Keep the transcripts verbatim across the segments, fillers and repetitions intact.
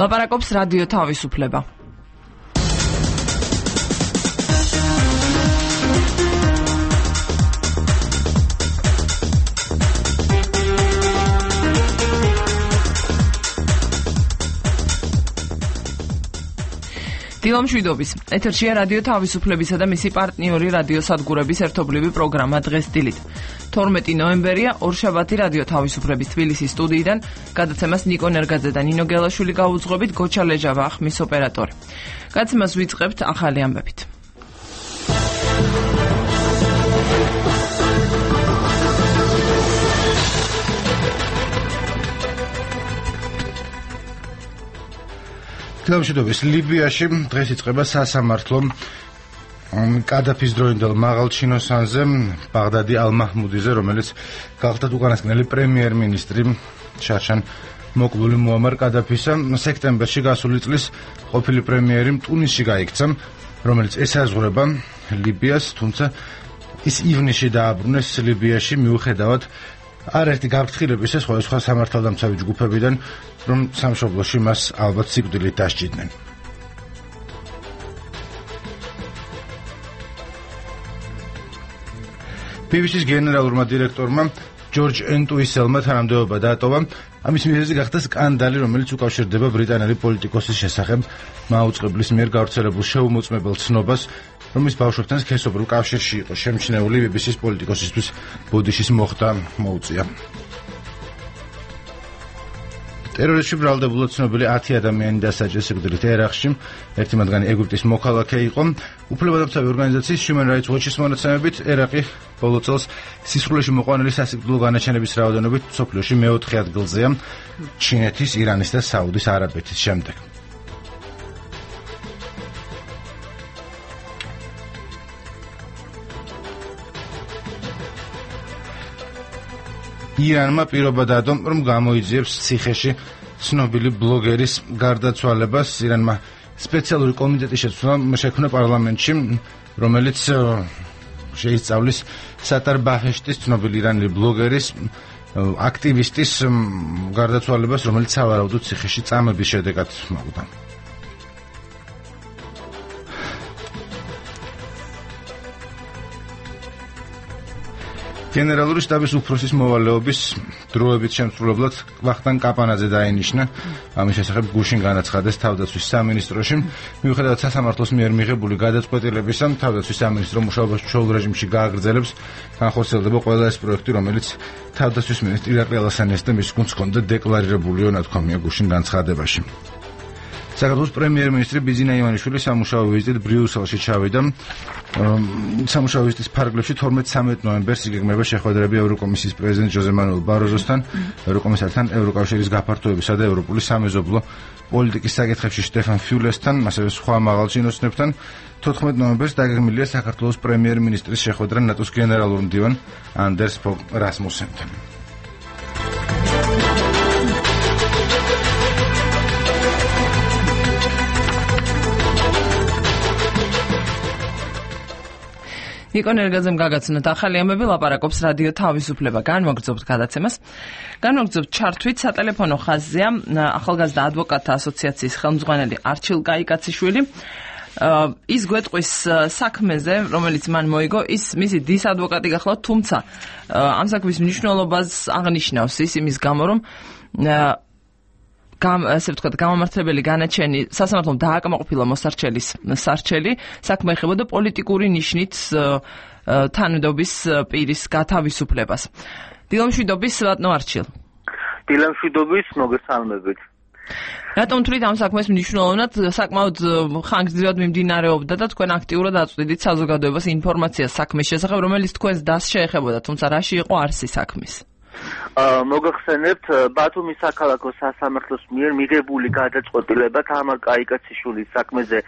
ლაპარაკობს რადიო თავისუფლება. დილამშვიდობის. ეთერშია რადიო თავისუფლებისა და მისი პარტნიორი რადიო სადგურების ერთობლივი პროგრამა დღეს დილით. თორმეტი ნოემბერია, ორშაბათი რადიო თავისუფლების თბილისის სტუდიიდან გადაცემას ნიკო ნერგაძე და ნინო გელაშვილი გაუძღვებით, გოჩა ლეჟავა ხმის ოპერატორი. გადაცემას ვიწყებთ ახალი ამბებით. დილამშვიდობის. ლიბიაში დღეს იწყება სასამართლო კადაფის დროინდელ მაღალ ჩინოსანზე ბაღდადი ალ-მაჰმუდიზე, რომელიც გახდათ უკანასკნელი პრემიერ-მინისტრი შარშან მოკლული მუამარ კადაფისა. სექტემბერში გასული წლის ყოფილი პრემიერი ტუნისში გაიქცა, რომელიც ესაზღვრება ლიბიას, თუმცა ის ივნისში დააბრუნეს ლიბიაში მიუხედავად არერთი გაფრთხილებისა სხვადასხვა სამართალდამცავი ჯგუფებიდან, რომ სამშობლოში მას ალბათ სიკვდილით დასჯიდნენ. ბი ბი სის გენერალურმა დირექტორმა ჯორჯ ენტუისელმა თანამდებობა დაატოვა. ამის მიზეზი გახდა სკანდალი, რომელიც უკავშირდება ბრიტანელი პოლიტიკოსის შესახებ მაუწყებლის მიერ გავრცელებულ შეუმოწმებელ ცნობას, რომლის ბავშვებთან სქესობრივ კავშირში იყო შემჩნეული ბი ბი სის პოლიტიკოსისთვის ბოდიშის მოხდა მოუწია. ტერორიზმში ბრალდებულად ცნობილი ათი ადამიანი დასაჯეს სიკვდილით ერაყში, ერთი მათგანი ეგვიპტის მოქალაქე იყო. უფლებადამცავი ორგანიზაციის Human Rights Watch-ის მონაცემებით, ერაყი ბოლო წელს სისხლში მოყვანილი სასიკვდილო განაჩენების რაოდენობით მსოფლიოში მეოთხე ადგილზეა, ჩინეთის, ირანის და საუდის არაბეთის შემდეგ. ირანმა პირობა დადო, რომ გამოიძიებს ციხეში ცნობილი ბლოგერის გარდაცვალებას. ირანმა სპეციალური კომიტეტი შექმნა პარლამენტში, რომელიც შეისწავლის სატარ ბაჰეშტის, ცნობილი ირანელი ბლოგერის, აქტივისტის გარდაცვალებას, რომელიც სავარაუდოდ ციხეში წამების შედეგად მოხდა. გენერალური შტაბის უფროსის მოვალეობის დროებით შემსრულებლად ვახტანგ კაპანაძე დაინიშნა. ამის შესახებ გუშინ განაცხადეს თავდაცვის სამინისტროში. მიუხედავად სასამართლოს მიერ მიღებული გადაწყვეტილებისა, თავდაცვის სამინისტრო მუშაობას ჩვეულ რეჟიმში გააგრძელებს. განხორციელდება ყველა ეს პროექტი, რომელიც თავდაცვის მინისტრი ირაკლი ალასანიას და მის გუნდს ჰქონდა დეკლარირებულიო, ნათქვამია გუშინ განცხადებაში. საქართველოს პრემიერ-მინისტრი ბიზინა ივანიშვილი სამუშაო ვიზიტით ბრიუსელში ჩავიდა. სამუშაო ვიზიტის ფარგლებში თორმეტ სამი ნოემბერს იგეგმება შეხვედრები ევროკომისიის პრეზიდენტ ჟოზე მანუელ ბაროზოსთან, ევროკომისართან, ევროკავშირის გაფართოებისა და ევროპული სამეზობლო პოლიტიკის საკითხებში შტეფან ფიულესთან, ასევე სხვა მაღალ ჩინოსნებთან. თოთხმეტ ნოემბერს დაგეგმილია საქართველოს პრემიერ-მინისტრის შეხვედრა ნატოს გენერალურ მდივან ანდერს ფოგ რასმუსენთან. ნიკო ნერგაძემ გაგაცნოთ ახალი ამბები, ლაპარაკობს რადიო თავისუფლება. განვაგრძობთ გადაცემას. განვაგრძობთ ჩართვით სატელეფონო ხაზზეა ახალგაზრდა ადვოკატთა ასოციაციის ხელმძღვანელი არჩილ კაიკაციშვილი. ის გვეტყვის საქმეზე, რომელიც მან მოიგო, ის მისი დის ადვოკატი გახლავთ, თუმცა ამ საქმის მნიშვნელობას აღნიშნავს ის იმის გამო, რომ გამ ასე ვთქვათ, გამომართლებელი განაჩენი სასამართლომ დააკმაყოფილა მოსარჩელის სარჩელი, საქმე ეხებოდა პოლიტიკური ნიშნით თანამდებობის პირის გათავისუფლებას. დილამშვიდობის, ბატონო არჩილ. დილამშვიდობის, მოგესალმებით. რატომ თვლით ამ საქმეს მნიშვნელოვნად, საკმაოდ ხანგრძლივად მიმდინარეობდა და თქვენ აქტიურად აწვდიდით საზოგადოებას ინფორმაციას საქმის შესახებ, რომელიც თქვენს დასს შეეხებოდა, თუმცა რაში იყო არსი საქმის? მოგახსენებთ, ბათუმის საქალაქო სასამართლოს მიერ მიღებული გადაწყვეტილება თამარ კაიკაციშვილის საქმეზე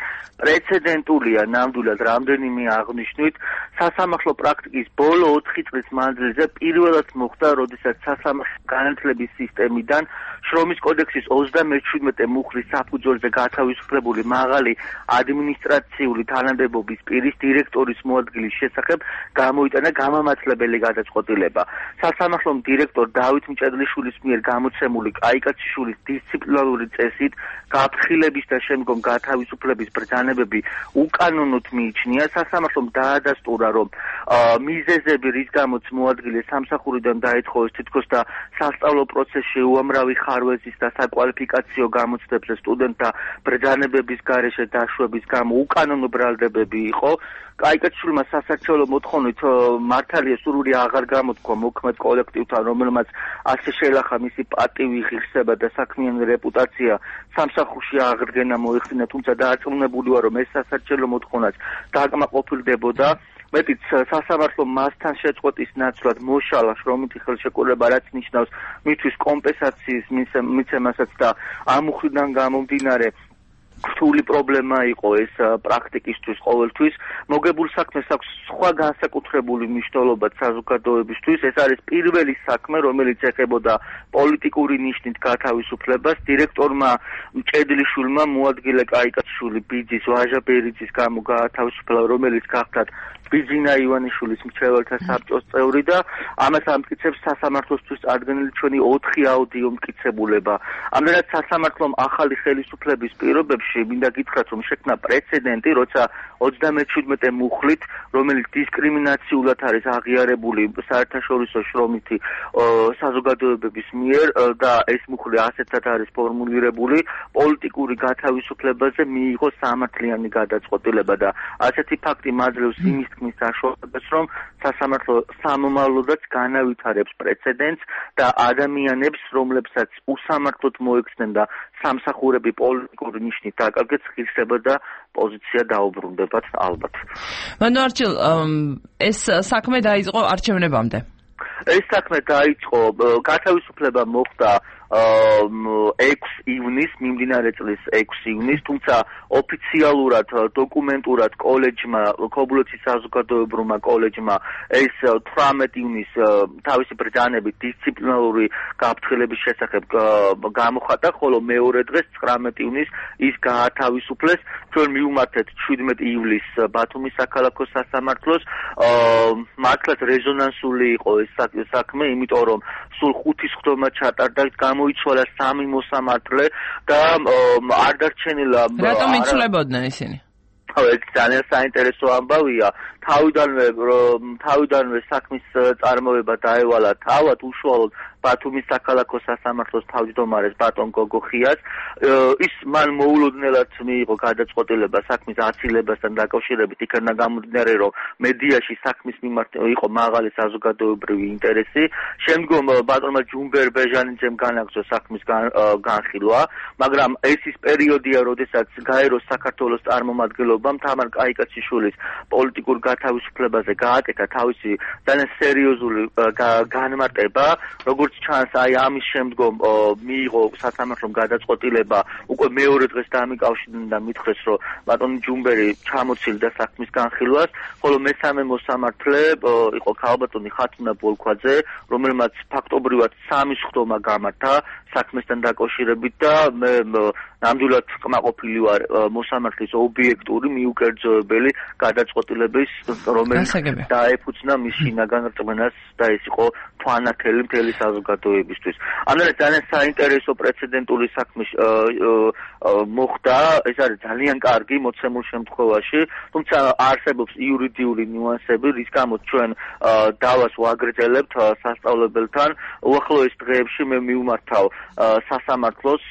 პრეცედენტულია, ნამდვილად რამდენიმე აღნიშნვით. სასამართლო პრაქტიკის ბოლო ოთხი წლის მანძილზე პირველად მოხდა, როდესაც სასამართლო განათლების სისტემიდან შრომის კოდექსის ოცდამეშვიდმეტე მუხლის საფუძველზე გათავისუფლებული მაღალი ადმინისტრაციული თანამდებობის პირის დირექტორის მოადგილის შესახებ გამოიტანა გამამართლებელი გადაწყვეტილება. სასამართლომ დირექტორ დავით მჭედლიშვილის მიერ გამოცემული კაიკაციშვილის დისციპლინარული წესით გაფრთხილების და შემდგომ გათავისუფლების ბრძანებები უკანონოდ მიიჩნია. სასამართლომ დაადასტურა, რომ მიზეზები, რის გამოც მოადგილეს სამსახურიდან დაეთხოვეს თითქოს და სასწავლო პროცესში უამრავი ხარვეზის და საკვალიფიკაციო გამოცდებზე სტუდენტთა ბრძანებების გარეშე დაშვების გამო უკანონო ბრალდებები იყო. კაიკაციშვილმა სასარჩეულო მოთხოვნით მართალია სურვილი აღარ გამოთქვა მოქმედ კოლექტივთან, რომელმაც ასე შეელახა მისი პატივი, ღირსება და საქმიანი რეპუტაცია სამსახურში აღდგენა მოიხსნა, თუმცა დაარწმუნებული ვარ, რომ ეს სასარჩეულო მოთხოვნაც დააკმაყოფილდებოდა. მეტიც სასამართლომ მასთან შეწყვეტის ნაცვლად მოშალა შრომითი ხელშეკრულება, რაც ნიშნავს მისთვის კომპენსაციის მიცემასაც და ამ მხრიდან გამომდინარე რთული პრობლემა იყო ეს პრაქტიკისთვის ყოველთვის. მოგებულ საქმეს აქვს სხვა განსაკუთრებული მნიშვნელობა საზოგადოებისთვის. ეს არის პირველი საქმე, რომელიც ეხებოდა პოლიტიკური ნიშნით გათავისუფლებას. დირექტორმა მჭედლიშვილმა მოადგილე კაიკაციშვილი ბიძის ვაჟა ბერიძის გამო გაათავისუფლა, რომელიც გახდათ ბიძინა ივანიშვილის მრჩეველთა საბჭოს წევრი და ამას ამტკიცებს სასამართლოსთვის წარდგენილი ჩვენი ოთხი აუდიო მტკიცებულება. ამდენად სასამართლომ ახალი ხელისუფლების პირობებში მინდა გითხრათ, რომ შექმნა პრეცედენტი, როცა ოცდამეჩვიდმეტე მუხლით, რომელიც დისკრიმინაციულად არის აღიარებული საერთაშორისო შრომითი საზოგადოებების მიერ და ეს მუხლი ასეთად არის ფორმულირებული, პოლიტიკური გათავისუფლებაზე მიიღო სამართლიანი გადაწყვეტილება და ასეთი ფაქტი მაძლევს იმის თქმის საშუალებას, რომ სასამართლო სამომავლოდაც განავითარებს პრეცედენტს და ადამიანებს, რომლებსაც უსამართლოდ მოექცნენ და სამსახურები პოლიტიკური ნიშნით დაკარგეს, ღირსება და პოზიცია დაუბრუნდებათ ალბათ. მანუ არჩილ, ეს საქმე დაიწყო არჩევნებამდე. ეს საქმე დაიწყო, გათავისუფლება მოხდა ექვსი ივნისს, მიმდინარე წლის ექვსი ივნისს, თუმცა ოფიციალურად, დოკუმენტურად კოლეჯმა, ქობულეთის საზოგადოებრმა კოლეჯმა ეს თვრამეტი ივნისს თავისი ბრძანებით დისციპლინარული გაფრთხილების შესახებ გამოხატა, ხოლო მეორე დღეს ცხრამეტი ივნისს ის გაათავისუფლეს. ჩვენ მივუმართეთ შვიდმეტი ივლისს ბათუმის საქალაქო სასამართლოს. მართლაც რეზონანსული იყო ეს საქმე, იმიტომ რომ სულ ხუთი სხდომა ჩატარდა, გამოიცვალა სამი მოსამართლე და არ დარჩენილა. რატომ იცვლებოდნენ ისინი? ეს ძალიან საინტერესო ამბავია. თავიდანვე თავიდანვე საქმის წარმოება დაევალა თავად უშუალოდ ბათუმის საქალაქო სასამართლოს თავმჯდომარეს ბატონ გოგოხიას. ის მან მოულოდნელად მიიღო გადაწყვეტილება საქმის აცილებასთან დაკავშირებით, იქნა გამომდინარე, რომ მედიაში საქმის მიმართ იყო მაღალი საზოგადოებრივი ინტერესი. შემდგომ ბატონმა ჯუმბერ ბეჟანიძემ განაგრძო საქმის განხილვა, მაგრამ ეს ის პერიოდია, როდესაც გაერო საქართველოს წარმომადგენლობამ თამარ კაიკაციშვილის პოლიტიკურ გათავისუფლებაზე გააკეთა თავისი ძალიან სერიოზული განმარტება, როგორც ჩანს, აი ამის შემდგომ მიიღო სასამართლომ გადაწყვეტილება უკვე მეორე დღეს დამიკავშირდნენ და მითხრეს, რომ ბატონი ჯუმბერი ჩამოცილდა საქმის განხილვას, ხოლო მესამე მოსამართლე იყო ქალბატონი ხათუნა ბოლქვაძე, რომელმაც ფაქტობრივად სამი სხდომა გამართა საქმესთან დაკავშირებით და მე ნამდვილად კმაყოფილი ვარ მოსამართლის ობიექტური მიუკერძოებელი გადაწყვეტილების, რომელიც დაეფუძნა მის შინაგან რწმენას და ეს იყო თვალნათელი მთელი საზოგადოებისთვის. ამიტომ ძალიან საინტერესო პრეცედენტული საქმე მოხდა, ეს არის ძალიან კარგი მოცემულ შემთხვევაში, თუმცა არსებობს იურიდიული ნიუანსები, რის გამოც ჩვენ დავას ვაგრძელებთ სასწავლებელთან. უახლოეს დღეებში მე მივმართავ სასამართლოს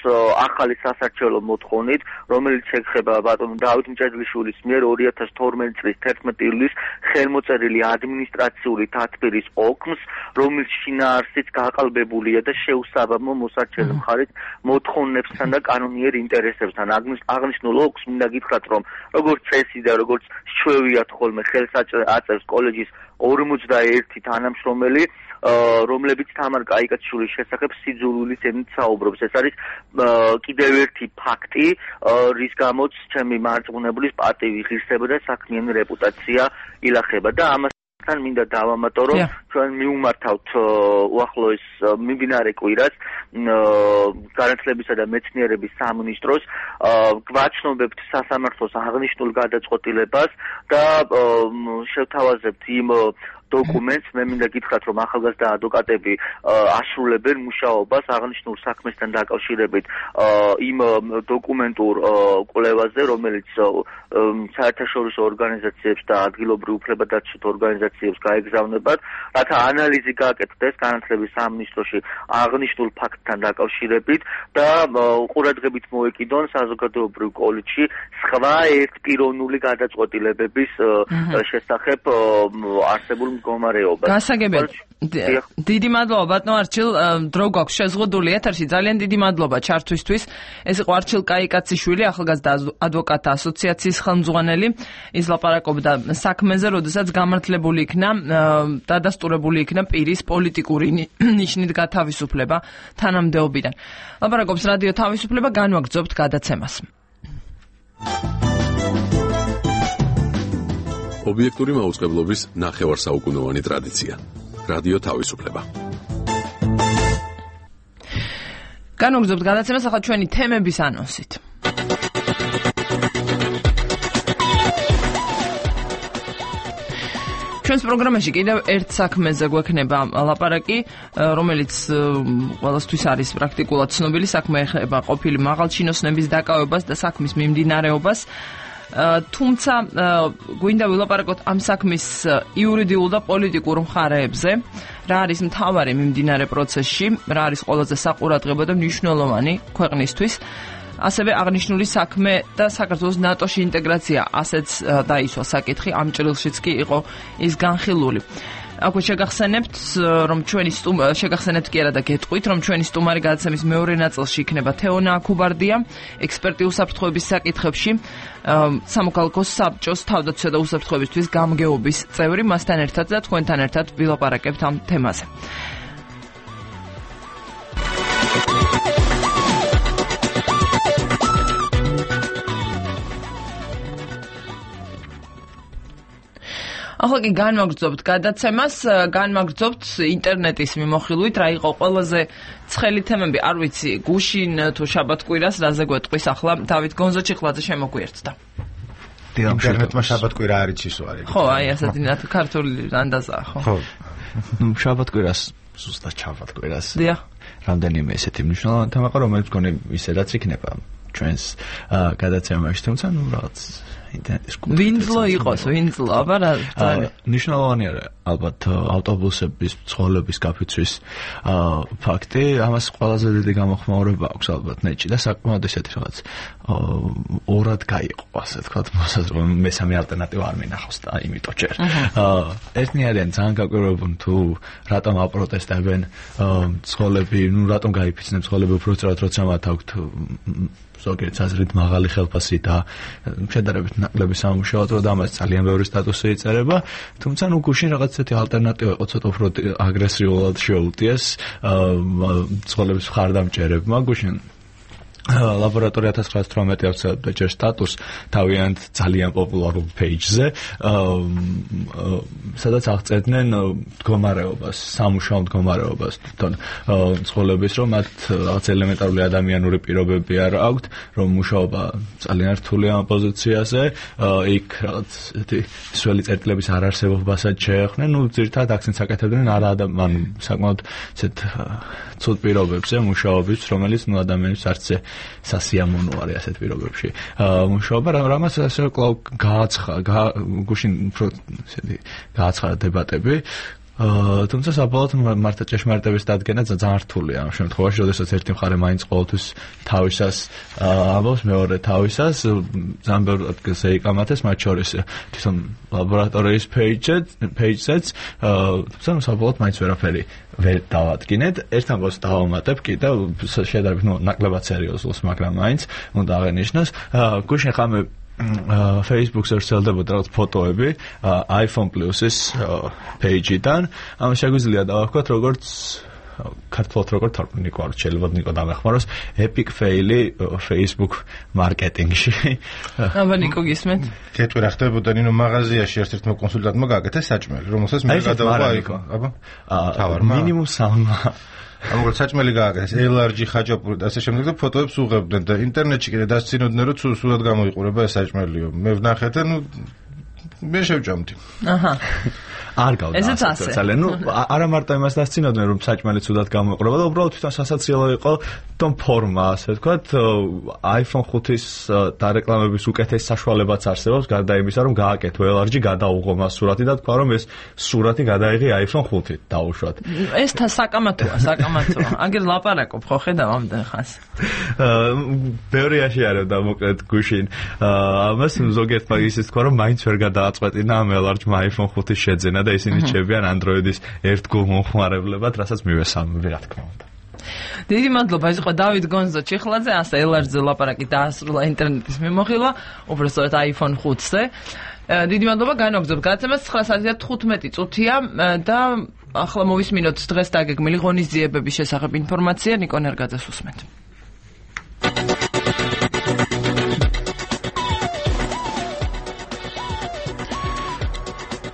ახალი სასარჩეულო მოთხოვნით, რომელიც ეხება ბატონ დავით მჭედლიშვილის მიერ ორი ათას თორმეტი წლის თერთმეტი ივლისს ხელმოწერილი ადმინისტრაციული დათბირის ოქმს, რომელიც შინაარსით გაყალბებულია და შეუსაბამო მოსარჩელი მხარით მოთხოვნებსთან და კანონიერ ინტერესებთან. აღნიშნულ ოქმს მინდა გითხრათ, რომ როგორც წესი და როგორც ჩვევიათ ხოლმე ხელს აწევს კოლეჯის ორმოცდაერთი თანამშრომელი, რომლებიც თამარ კაიკაციშვილის შესახებ სიძულვილის ენით საუბრობს. ეს არის კიდევ ერთი ფაქტი, რის გამოც ჩემი მარწმუნებლის პატივი, ღირსება და საქმიანი რეპუტაცია ილახება და ამას თან მინდა დავამატო, რომ ჩვენ მივმართავთ უახლოეს მიმდინარე კვირას განათლებისა და მეცნიერების სამინისტროს, გვაჩნობებთ სასამართლოს აღნიშნულ გადაწყვეტილებას და შევთავაზებთ იმ დოკუმენტს. მე მინდა გითხრათ, რომ ახალგაზრდა ადვოკატები ასრულებენ მუშაობას აღნიშნულ საქმესთან დაკავშირებით იმ დოკუმენტურ კვლევაზე, რომელიც საერთაშორისო ორგანიზაციებს და ადგილობრივ უფლებადაცვით ორგანიზაციებს გაეგზავნებათ, რათა ანალიზი გააკეთდეს განათლების სამინისტროში აღნიშნულ ფაქტთან დაკავშირებით და ყურადღებით მოეკიდონ საზოგადოებრივ კოლეჯში სხვა ერთპიროვნული გადაწყვეტილებების შესახებ არსებულ მდგომარეობას. გასაგებია. დიდი მადლობა ბატონო არჩილ, დრო გვაქვს შეზღუდული ეთერში. ძალიან დიდი მადლობა ჩართვისთვის. ეს იყო არჩილ კაიკაციშვილი, ახალგაზრდა ადვოკატთა ასოციაციის ხელმძღვანელი. ის ლაპარაკობდა საქმეზე, როდესაც გამართლებული იქნა დადასტურებული იქნა პირის პოლიტიკური ნიშნით გათავისუფლება თანამდებობიდან. ლაპარაკობს რადიო თავისუფლება, განვაგრძობთ გადაცემას. ობიექტური მაუწყებლობის ნახევარსაუკუნოვანი ტრადიცია. რადიო თავისუფლება. განვაგრძობთ გადაცემას ახლა ჩვენი თემების ანონსით. ჩვენს პროგრამაში კიდევ ერთ საქმეზე გვექნება ლაპარაკი, რომელიც ყველასთვის არის პრაქტიკულად ცნობილი. საქმე ეხება ყოფილი მაღალჩინოსნების დაკავებას და საქმის მიმდინარეობას. თუმცა გვინდა ვილაპარაკოთ ამ საქმის იურიდიულ და პოლიტიკურ მხარეებზე, რა არის მთავარი მიმდინარე პროცესში, რა არის ყველაზე საყურადღებო და მნიშვნელოვანი ქვეყნისთვის. ასევე აღნიშნული საქმე და საქართველოს ნატოში ინტეგრაცია, ასეც დაისვა საკითხი, ამ ჭრილშიც კი იყო ის განხილული. აქვე შეგახსენებთ, რომ ჩვენი შეგახსენებთ კი არა და გეტყვით, რომ ჩვენი სტუმარი გადაცემის მეორე ნაწილში იქნება თეონა აქუბარდია, ექსპერტი უსაფრთხოების საკითხებში, სამოქალაქო საბჭოს თავდაცვისა და უსაფრთხოებისთვის გამგეობის წევრი, მასთან ერთად და თქვენთან ერთად ვილაპარაკებთ ამ თემაზე. ახლა კი განვაგრძობთ გადაცემას, განვაგრძობთ ინტერნეტის მიმოხილვით, რა იყო ყველაზე ცხელი თემები, არ ვიცი, გუშინ თუ შაბათ-კვირას რაზე გვეტყვის ახლა დავით გონზოჩიხლაძე შემოგვიერთდა. ინტერნეტმა შაბათ-კვირა არ იცის ვარი. ხო, აი ასეთი ნათ ქართული ანდაზაა, ხო. ხო. ნუ შაბათ-კვირას ზუსტად შაბათ-კვირას. დიახ. რამდენიმე ესეთი მნიშვნელოვანი თემა ყო, რომელიც მგონი ისედაც იქნება ჩვენს გადაცემაში, თუმცა ნუ რაღაც ინტერნეტის ვინძლო იყოს, ვინძლო, აბა რა ნიშნავანი არა ალბათ ავტობუსების ცხოვრების გაფიცვის ფაქტი, ამას ყველაზე დიდი გამოხმაურება აქვს ალბათ ნეტში და საკმაოდ ესეთი რაღაც ორად გაიყო, ასე თქვა, მოსაზრება მესამე ალტერნატივა არ მინახავს და იმიტომ ჯერ. ერთნი არიან ძალიან გაკვირვებულნი თუ რატომ აპროტესტებენ ცხოვრები, ნუ რატომ გაიფიცნენ ცხოვრები უფრო სწრაფად, როცა მათ აქვთ ზოგიერთ აზრით მაღალი ხელფასი და შედარებით ნაკლები სამუშაო და ამას ძალიან ბევრი სტატუსი იწერება, თუმცა ნუ გუშინ რაღაც ესეთი ალტერნატივა იყო ცოტა უფრო აგრესიულად შეუტიეს ცხოვრების მხარდამჭერებმა გუშინ ლაბორატორია ათას ცხრაას თვრამეტი ოცდაათი ჯერ სტატუს თავიანთ ძალიან პოპულარულ პეიჯზე, სადაც აღწერდნენ მდგომარეობას, სამუშაო მდგომარეობას თვითონ ცხოვრების, რომ მათ რაღაც ელემენტარული ადამიანური პირობები არ აქვთ, რომ მუშაობა ძალიან რთულია ამ პოზიციაზე, იქ რაღაც ესეთი სველი წერტილების არარსებობასაც შეეხნენ, ნუ ძირითადად აქცენტს აკეთებდნენ არა ანუ საკმაოდ ესეთ ცუდ პირობებზე მუშაობის, რომელიც ნუ ადამიანებს არც სასიამოვნო არის ასეთ პირობებში მუშაობა, რამაც ასე კлау გააცხა გუშინ უფრო ესეთი გააცხარა დებატები, თუმცა საბოლოოდ მართლა ჭეშმარიტების დადგენა ძალიან რთულია ამ შემთხვევაში, როდესაც ერთი მხარე მაინც ყოველთვის თავისას ამბობს, მეორე თავისას, ძალიან ბევრ ადგილზე იკამათეს, მათ შორის თვითონ ლაბორატორიის პეიჯზეც, თუმცა საბოლოოდ მაინც ვერაფერი ვერ დავადგინეთ. ერთ ამბავს დავამატებ კი და შედარებით ნუ ნაკლებად სერიოზულს, მაგრამ მაინც უნდა აღენიშნოს, გუშინ ხამე Facebook-ზე ვრცელდებოდა რაღაც ფოტოები iPhone Plus-ის პეიჯიდან. ამ შეგვიძლია დავაქვათ როგორც ქართულად როგორ თარგმნი ყავს, შეიძლება ნიკო დამეხმაროს, epic fail-ი Facebook მარკეტინგში. აბა ნიკო გისმენთ? კეთვი რა ხდებოდა ნინო მაღაზიაში ერთ-ერთმა კონსულტანტმა გააკეთა საჭმელი, რომელსაც მე გადავყვა იქ. აბა თავარმა მინიმუმ სამმა ამგვარად საჭმელი გააკეთეს, ელ არ ჯი ხაჭაპური და ასე შემდეგ და ფოტოებს უღებდნენ და ინტერნეტში კიდე დასცინოდნენ, რომ სულად გამოიყურება ეს საჭმელიო. მე ვნახე და ნუ მე შევჭამდი. აჰა. არ გავდა. ესეც ასე. ძალიან, ну, არა მარტო იმას დასწინოდნენ, რომ საჭმელი ცუდად გამოიყურება და უბრალოდ თვითონ სასაცილო იყო თვითონ ფორმა, ასე ვთქვათ, iPhone ხუთის დარეკლამების უკეთეს საშუალებაც არსებობს, გარდა იმისა, რომ გააკეთო ელ არ ჯი გადაუღო მას სურათი და თქვა, რომ ეს სურათი გადაიღე iPhone ხუთით, დაუშვათ. ეს თა საკამათოა, საკამათოა. აგერ ლაპარაკობ ხო ხედავ ამდენ ხანს. ბევრი აშიარებდა მოკლედ გუშინ. ამას ზოგიერთმა ისიც თქვა, რომ მაინც ვერ გადააწყვეტინა ამ ელარჯმა iPhone ხუთის შეძენა და ისინი რჩებიან Android-ის ერთგულ მომხმარებლებად, რასაც მივესალმები, რა თქმა უნდა. დიდი მადლობა, ეს იყო დავით გონზო ჩიხლაძე, ასე ელარჯზე ლაპარაკი დაასრულა ინტერნეტის მიმოხილვა, უბრალოდ iPhone ხუთზე. დიდი მადლობა, განვაგრძობთ გადაცემას ცხრა საათი და თხუთმეტი წუთია და ახლა მოვისმინოთ დღეს დაგეგმილი ღონისძიებების შესახებ ინფორმაცია, ნიკო ნერგაძეს უსმენთ.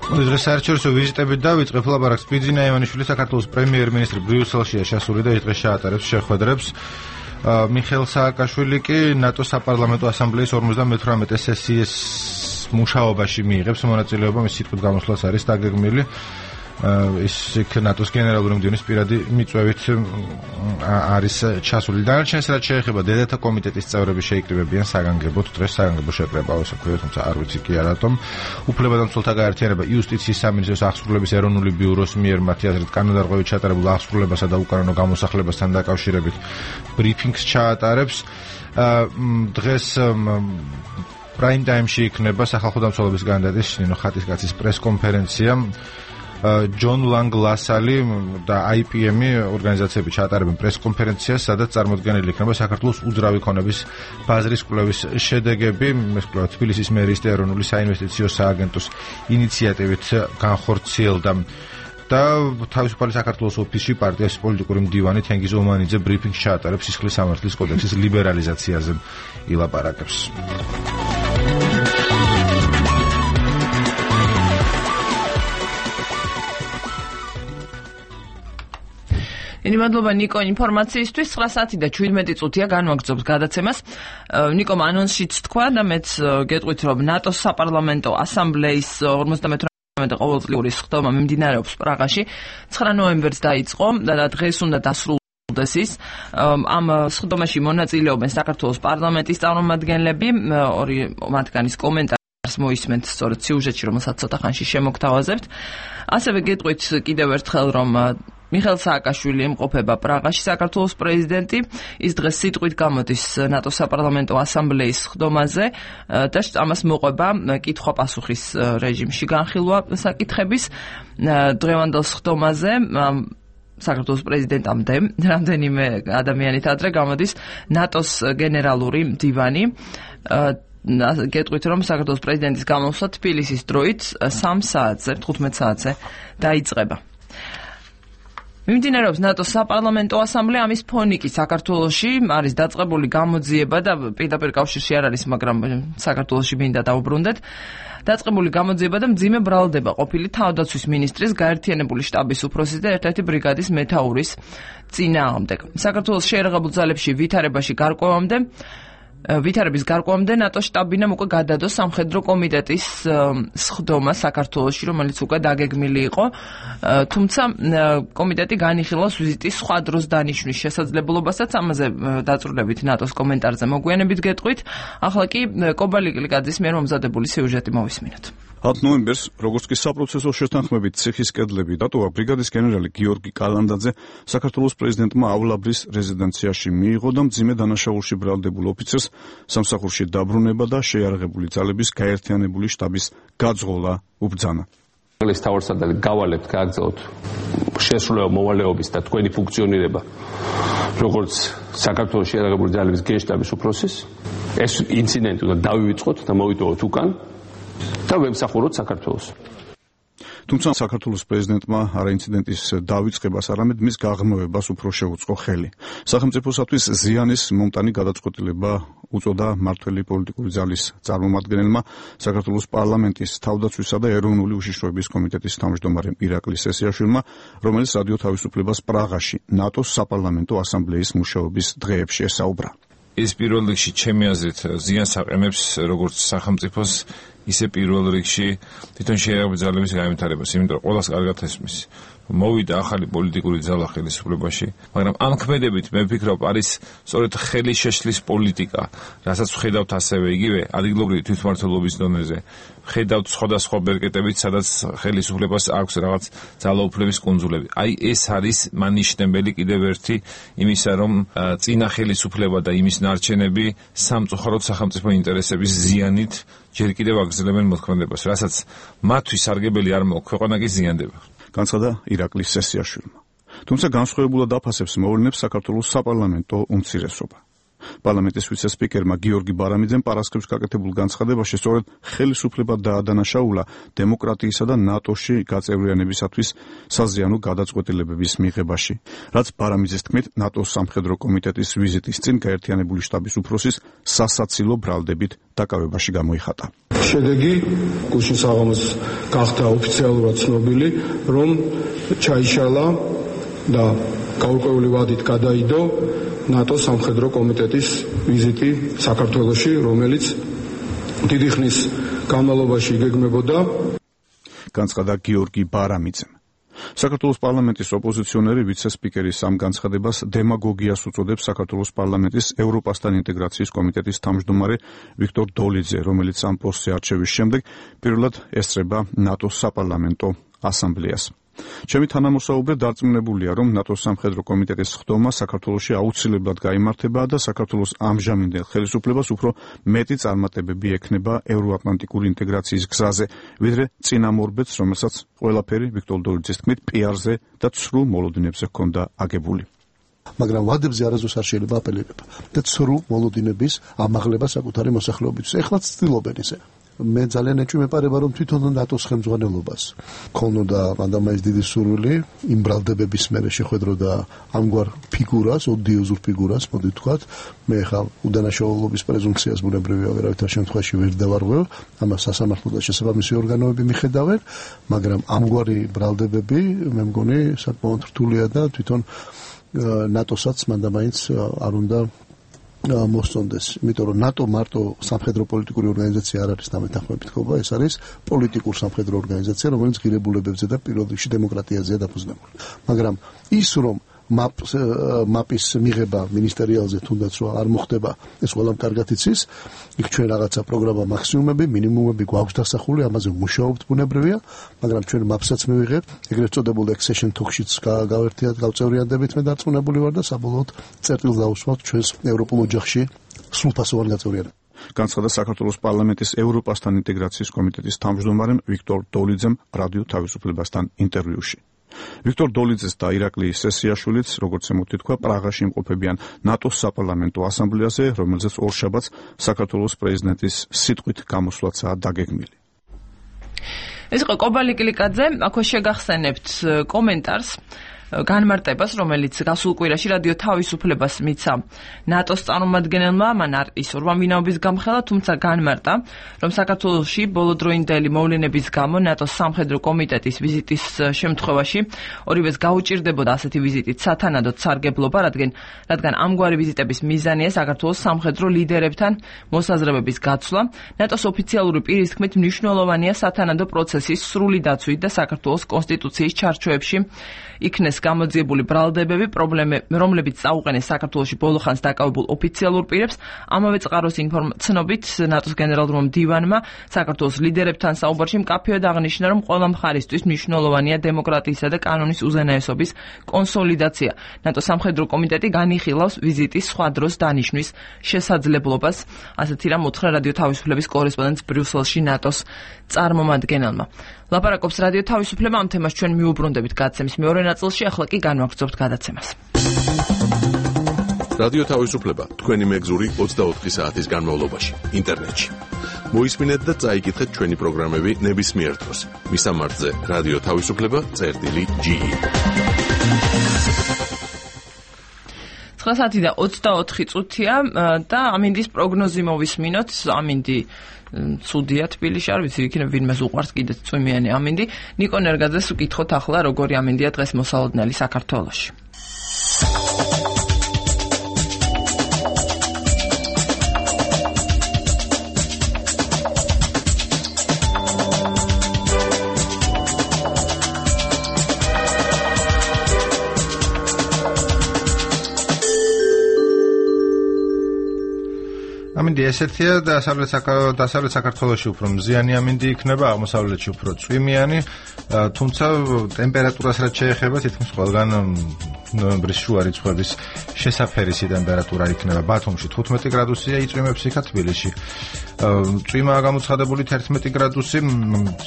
დღეს საერთაშორისო ვიზიტებით დავიწყებ ლაპარაკს. ბიძინა ივანიშვილი საქართველოს პრემიერ-მინისტრი ბრიუსელშია შესული და დღეს შეატარებს შეხვედრებს. მიხეილ სააკაშვილი კი ნატოს საპარლამენტო ასამბლეის ორმოცდამეთვრამეტე სესიის მუშაობაში მიიღებს მონაწილეობა, მის სიტყვით გამოსვლაც არის დაგეგმილი. ის ნატოს გენერალური მდივნის პირადი მიწვევით არის ჩასული. დანარჩენს რაც შეეხება დედათა კომიტეტის წევრები შეიკრიბებიან საგანგებოდ, დღეს საგანგებო შეკრება ასე ქვია, თუმცა არ ვიცი კი არათომ. უფლებადამცველთა გაერთიანება იუსტიციის სამინისტროს აღსრულების ეროვნული ბიუროს მიერ მათი აზრით კანონდარღვევით ჩატარებულ აღსრულებასა და უკანონო გამოსახლებასთან დაკავშირებით ბრიფინგს ჩაატარებს. დღეს პრაიმ ტაიმში იქნება სახალხო დამცველობის კანდიდატის ნინო ხატისკაცის პრესკონფერენცია. ჯონ ლანგ ლასალი და აი პი ემ-ი ორგანიზაციები ჩაატარებენ პრესკონფერენციას, სადაც წარმოდგენილი იქნება საქართველოს უძრავი ქონების ბაზრის კვლევის შედეგები. ეს კვლევა თბილისის მერიის და ეროვნული საინვესტიციო სააგენტოს ინიციატივით განხორციელდა. და თავისუფალი საქართველოს ოფისში პარტიის პოლიტიკური მდივანი თენგიზ ომანიძე ბრიფინგს ჩაატარებს სისხლის სამართლის კოდექსის ლიბერალიზაციაზე ილაპარაკებს. დიდი მადლობა ნიკო ინფორმაციისთვის. ცხრა საათი და შვიდმეტი წუთია განვაგრძობთ გადაცემას. ნიკომ ანონსშიც თქვა და მეც გეტყვით, რომ ნატოს საპარლამენტო ასამბლეის ორმოცდამეთვრამეტე ყოველწლიური სხდომა მიმდინარეობს პრაღაში. ცხრა ნოემბერს დაიწყო და დღეს უნდა დასრულდეს ის. ამ სხდომაში მონაწილეობენ საქართველოს პარლამენტის წარმომადგენლები, ორი მათგანის კომენტარს მოისმენთ სწორედ სიუჟეტში, რომელსაც ცოტა ხანში შემოგთავაზებთ. ასევე გეტყვით კიდევ ერთხელ, რომ მიხეილ სააკაშვილი ემყოფება პრაღაში, საქართველოს პრეზიდენტი. ის დღეს სიტყვით გამოდის ნატოს საპარლამენტო ასამბლეის სხდომაზე და ამას მოყვება კითხვა-პასუხის რეჟიმში განხილვა საკითხების. დღევანდელ სხდომაზე საქართველოს პრეზიდენტამდე რამდენიმე ადამიანით ადრე გამოდის ნატოს გენერალური მდივანი. გეტყვით, რომ საქართველოს პრეზიდენტის გამოსვლა თბილისის დროით სამ საათზე, თხუთმეტ საათზე დაიწყება. მიმდინარეობს ნატოს საპარლამენტო ასამბლეა, ამის ფონი კი საქართველოში არის დაწყებული გამოძიება და პირდაპირ კავშირში არ არის, მაგრამ საქართველოში მინდა დავუბრუნდეთ. დაწყებული გამოძიება და მძიმე ბრალდება ყოფილი თავდაცვის მინისტრის, გაერთიანებული შტაბის უფროსის და ერთ-ერთი ბრიგადის მეთაურის წინააღმდეგ. საქართველოს შეერაღებულ ძალებში ვითარებაში გარკვევამდე ვითარების გარკვევამდე ნატოს შტაბინამ უკვე გადადო სამხედრო კომიტეტის სხდომა საქართველოში, რომელიც უკვე დაგეგმილი იყო, თუმცა კომიტეტი განიხილავს ვიზიტის სხვა დროს დანიშვნის შესაძლებლობასაც. ამაზე დაწვრილებით ნატოს კომენტარზე მოგვიანებით გეტყვით. ახლა კი კობალი კლიკაძის მიერ მომზადებული სიუჟეტი მოვისმინოთ. ათ ნოემბერს, როგორც კი საპროცესო შეთანხმებით ციხის კედლები დატოვა, ბრიგადის გენერალი გიორგი კალანდაძე საქართველოს პრეზიდენტმა ავლაბრის რეზიდენციაში მიიღო და მძიმე დანაშაულში ბრალდებულ ოფიცერს სამსახურში დაბრუნება და შეიარაღებული ძალების გაერთიანებული შტაბის გაძღოლა უბრძანა. ეს თავარსარდალი გავალებთ, გააგრძელოთ შესრულება მოვალეობის და თქვენი ფუნქციონირება როგორც საქართველოს შეიარაღებული ძალების გენშტაბის უფროსის. ეს ინციდენტი უნდა დავივიწყოთ და მოვიტოვოთ უკან და ვემსახუროთ საქართველოს. თუმცა საქართველოს პრეზიდენტმა არა ინციდენტის დავიწყებას, არამედ მის გაღრმავებას უფრო შეუწყო ხელი. სახელმწიფოსათვის ზიანის მომტანი გადაწყვეტილება უწოდა მმართველი პოლიტიკური ძალის წარმომადგენელმა საქართველოს პარლამენტის თავდაცვისა და ეროვნული უშიშროების კომიტეტის თავმჯდომარემ ირაკლი სესიაშვილმა, რომელიც რადიო თავისუფლებას პრაღაში ნატოს საპარლამენტო ასამბლეის მუშაობის დღეებში ესაუბრა. ეს პირველ რიგში ჩემი აზრით ზიანს აყენებს როგორც სახელმწიფოს, ისე პირველ რიგში თვითონ შეერაღებული ძალების განვითარებას, იმიტომ რომ ყველას კარგად ესმის. მოვიდა ახალი პოლიტიკური ძალა ხელისუფლებაში, მაგრამ ამ ქმედებით მე ვფიქრობ არის სწორედ ხელის შეშლის პოლიტიკა, რასაც ვხედავთ ასევე იგივე ადგილობრივი თვითმმართველობის დონეზე. ვხედავთ სხვადასხვა ბერკეტებით, სადაც ხელისუფლებას აქვს რაღაც ძალაუფლების კუნძულები. აი ეს არის მანიშნებელი კიდევ ერთი იმისა, რომ წინა ხელისუფლება და იმის ნარჩენები სამწუხაროდ სახელმწიფო ინტერესების ზიანით ჯერ კიდევ აგრძელებენ მოქმედებას, რასაც მათთვის სარგებელი არ მოაქვს, ქვეყანა კი ზიანდება. განცხადა ირაკლი სესიაშვილმა. თუმცა განსხვავებულად აფასებს მოვლენებს საქართველოს საპარლამენტო უმცირესობა. პარლამენტის ვიცე-სპიკერმა გიორგი ბარამიძემ პარასკევს გაკეთებულ განცხადებაში სწორედ ხელისუფლება დაადანაშაულა დემოკრატიისა და ნატოში გაწევრიანებისათვის საზიანო გადაწყვეტილებების მიღებაში, რაც ბარამიძის თქმით ნატოს სამხედრო კომიტეტის ვიზიტის წინ გაერთიანებული შტაბის უფროსის სასაცილო ბრალდებით დაკავებაში გამოიხატა. შედეგი გუშინ საღამოს გახდა ოფიციალურად ცნობილი, რომ ჩაიშალა და გაურკვეველი ვადით გადაიდო ნატოს სამხედრო კომიტეტის ვიზიტი საქართველოში, რომელიც დიდი ხნის განმავლობაში იგეგმებოდა. განცხადა გიორგი ბარამიძემ. საქართველოს პარლამენტის ოპოზიციონერი ვიცე-სპიკერის ამ განცხადებას დემაგოგიას უწოდებს საქართველოს პარლამენტის ევროპასთან ინტეგრაციის კომიტეტის თავმჯდომარე ვიქტორ დოლიძე, რომელიც ამ პოსტზე არჩევის შემდეგ პირველად ესწრება ნატოს საპარლამენტო ასამბლეას. ჩემი თანამოსაუბრე დარწმუნებულია, რომ ნატოს სამხედრო კომიტეტის ხდომა საქართველოში აუცილებლად გაიმართება და საქართველოს ამჟამინდელ ხელისუფლებას უფრო მეტი წარმატებები ექნება ევროატლანტიკური ინტეგრაციის გზაზე, ვიდრე წინამორბედს, რომელსაც ყველაფერი ვიქტორ დოლიძის თქმით პიარზე და ცრუ მოლოდინებზე ჰქონდა აგებული. მაგრამ ვადებზე არასდროს არ შეიძლება აპელირება და ცრუ მოლოდინების ამაღლება საკუთარი მოსახლეობისთვის. ეხლაც ცდილობენ ისე. მე ძალიან ეჭვი მეპარება, რომ თვითონ ნატოს ხელმძღვანელობას ქონოდა მანდამაის დიდი სურვილი იმ ბრალდებების მერე შეხვედროდა ამგვარ ფიგურას, ოდიოზურ ფიგურას, მოდი ვთქვათ. მე ხა უდანაშაულობის პრეზუმპციას ბუნებრივია ვერავითარ შემთხვევაში ვერ დავარღვევ, ამას სასამართლო და შესაბამისი ორგანოები მიხედავენ, მაგრამ ამგვარი ბრალდებები მე მგონი საკმაოდ რთულია და თვითონ ნატოსაც მანდამაინც არ უნდა მოსწონდეს, იმიტომ რომ ნატო მარტო სამხედრო პოლიტიკური ორგანიზაცია არ არის დამეთანხმებით ხობა, ეს არის პოლიტიკურ სამხედრო ორგანიზაცია, რომელიც ღირებულებებზე და პირველ რიგში დემოკრატიაზეა დაფუძნებული. მაგრამ ის რომ მაპის მიღება მინისტერიალზე თუნდაც რომ არ მოხდება, ეს ყველამ კარგად იცის, იქ ჩვენ რაღაცა პროგრამა მაქსიმუმები, მინიმუმები გვაქვს დასახული, ამაზე ვმუშაობთ ბუნებრივია, მაგრამ ჩვენ მაპსაც მივიღებთ, ეგრეთ წოდებულ accession talks-შიც გავერთიათ, გავწევრიანდებით, მე დარწმუნებული ვარ და საბოლოოდ წერტილს დავუსვათ ჩვენს ევროპულ ოჯახში სრულფასოვან გაწევრიანებას. განცხადა საქართველოს პარლამენტის ევროპასთან ინტეგრაციის კომიტეტის თავმჯდომარემ ვიქტორ დოლიძემ რადიო თავისუფლებასთან ინტერვიუში. ვიქტორ დოლიძეს და ირაკლი სესიაშვილიც, როგორც ემოთითქვა, პრაღაში იმყოფებიან ნატოს საპარლამენტო ასამბლეაზე, რომელზეც ორშაბათს საქართველოს პრეზიდენტის სიტყვით გამოსვლაცაა დაგეგმილი. ეს იყო კობალი კლიკაძე, აქ შეგახსენებთ კომენტარს განმარტებას, რომელიც გასულ კვირაში რადიო თავისუფლებას მიცა ნატოს წარმომადგენელმა, მან არ ისურვა ვინაობის გამხელა, თუმცა განმარტა, რომ საქართველოში ბოლოდროინდელი მოვლენების გამო ნატოს სამხედრო კომიტეტის ვიზიტის შემთხვევაში ორივეს გაუჭირდებოდა ასეთი ვიზიტით სათანადოდ სარგებლობა, რადგან რადგან ამგვარი ვიზიტების მიზანია საქართველოს სამხედრო ლიდერებთან მოსაზრებების გაცვლა. ნატოს ოფიციალური პირის თქმით, მნიშვნელოვანია სათანადო პროცესის სრული დაცვით და საქართველოს კონსტიტუციის ჩარჩოებში იქნეს გამოძიებული ბრალდებები, რომლებიც წაუყენეს საქართველოში ბოლოხანს დაკავებულ ოფიციალურ პირებს. ამავე წყაროს ცნობით ნატოს გენერალურმა მდივანმა საქართველოს ლიდერებთან საუბარში მკაფიოდ აღნიშნა, რომ ყველა მხარისთვის მნიშვნელოვანია დემოკრატიისა და კანონის უზენაესობის კონსოლიდაცია. ნატოს სამხედრო კომიტეტი განიხილავს ვიზიტის სხვა დროს დანიშვნის შესაძლებლობას. ასეთი რამ უთხრა რადიო თავისუფლების კორესპონდენტს ბრიუსელში ნატოს წარმომადგენელმა. ლაპარაკობს რადიო თავისუფლება, ამ თემას ჩვენ მიუბრუნდებით გადაცემის მეორე ნაწილში, ახლა კი განვაგრძობთ გადაცემას. რადიო თავისუფლება თქვენი მეგზური ოცდაოთხი საათის განმავლობაში ინტერნეტში. მოისმინეთ და წაიკითხეთ ჩვენი პროგრამები ნებისმიერ დროს. მისამართზე რადიო თავისუფლება წერტილი ჯი ი. ცხრა საათი და ოცდაოთხი წუთია და ამინდის პროგნოზი მოვისმინოთ. ამინდი ცუდია თბილისში, არ ვიცი, იქნებ ვინმეს უყვარს კიდეც წვიმიანი ამინდი. ნიკო ნერგაძეს ვკითხოთ ახლა, როგორი ამინდია დღეს მოსალოდნელი საქართველოში. ამინდი ესეთია და დასავლეთ საქართველოში უფრო მზიანი ამინდი იქნება, აღმოსავლეთში უფრო წვიმიანი, თუმცა ტემპერატურას რაც შეეხება, თითქმის ყველგან ნოემბრის შუა რიცხვების შესაფერისი ტემპერატურა იქნება. ბათუმში თხუთმეტი გრადუსია იწვიმებს იქა, თბილისში წვიმაა გამოცხადებული თერთმეტი გრადუსი,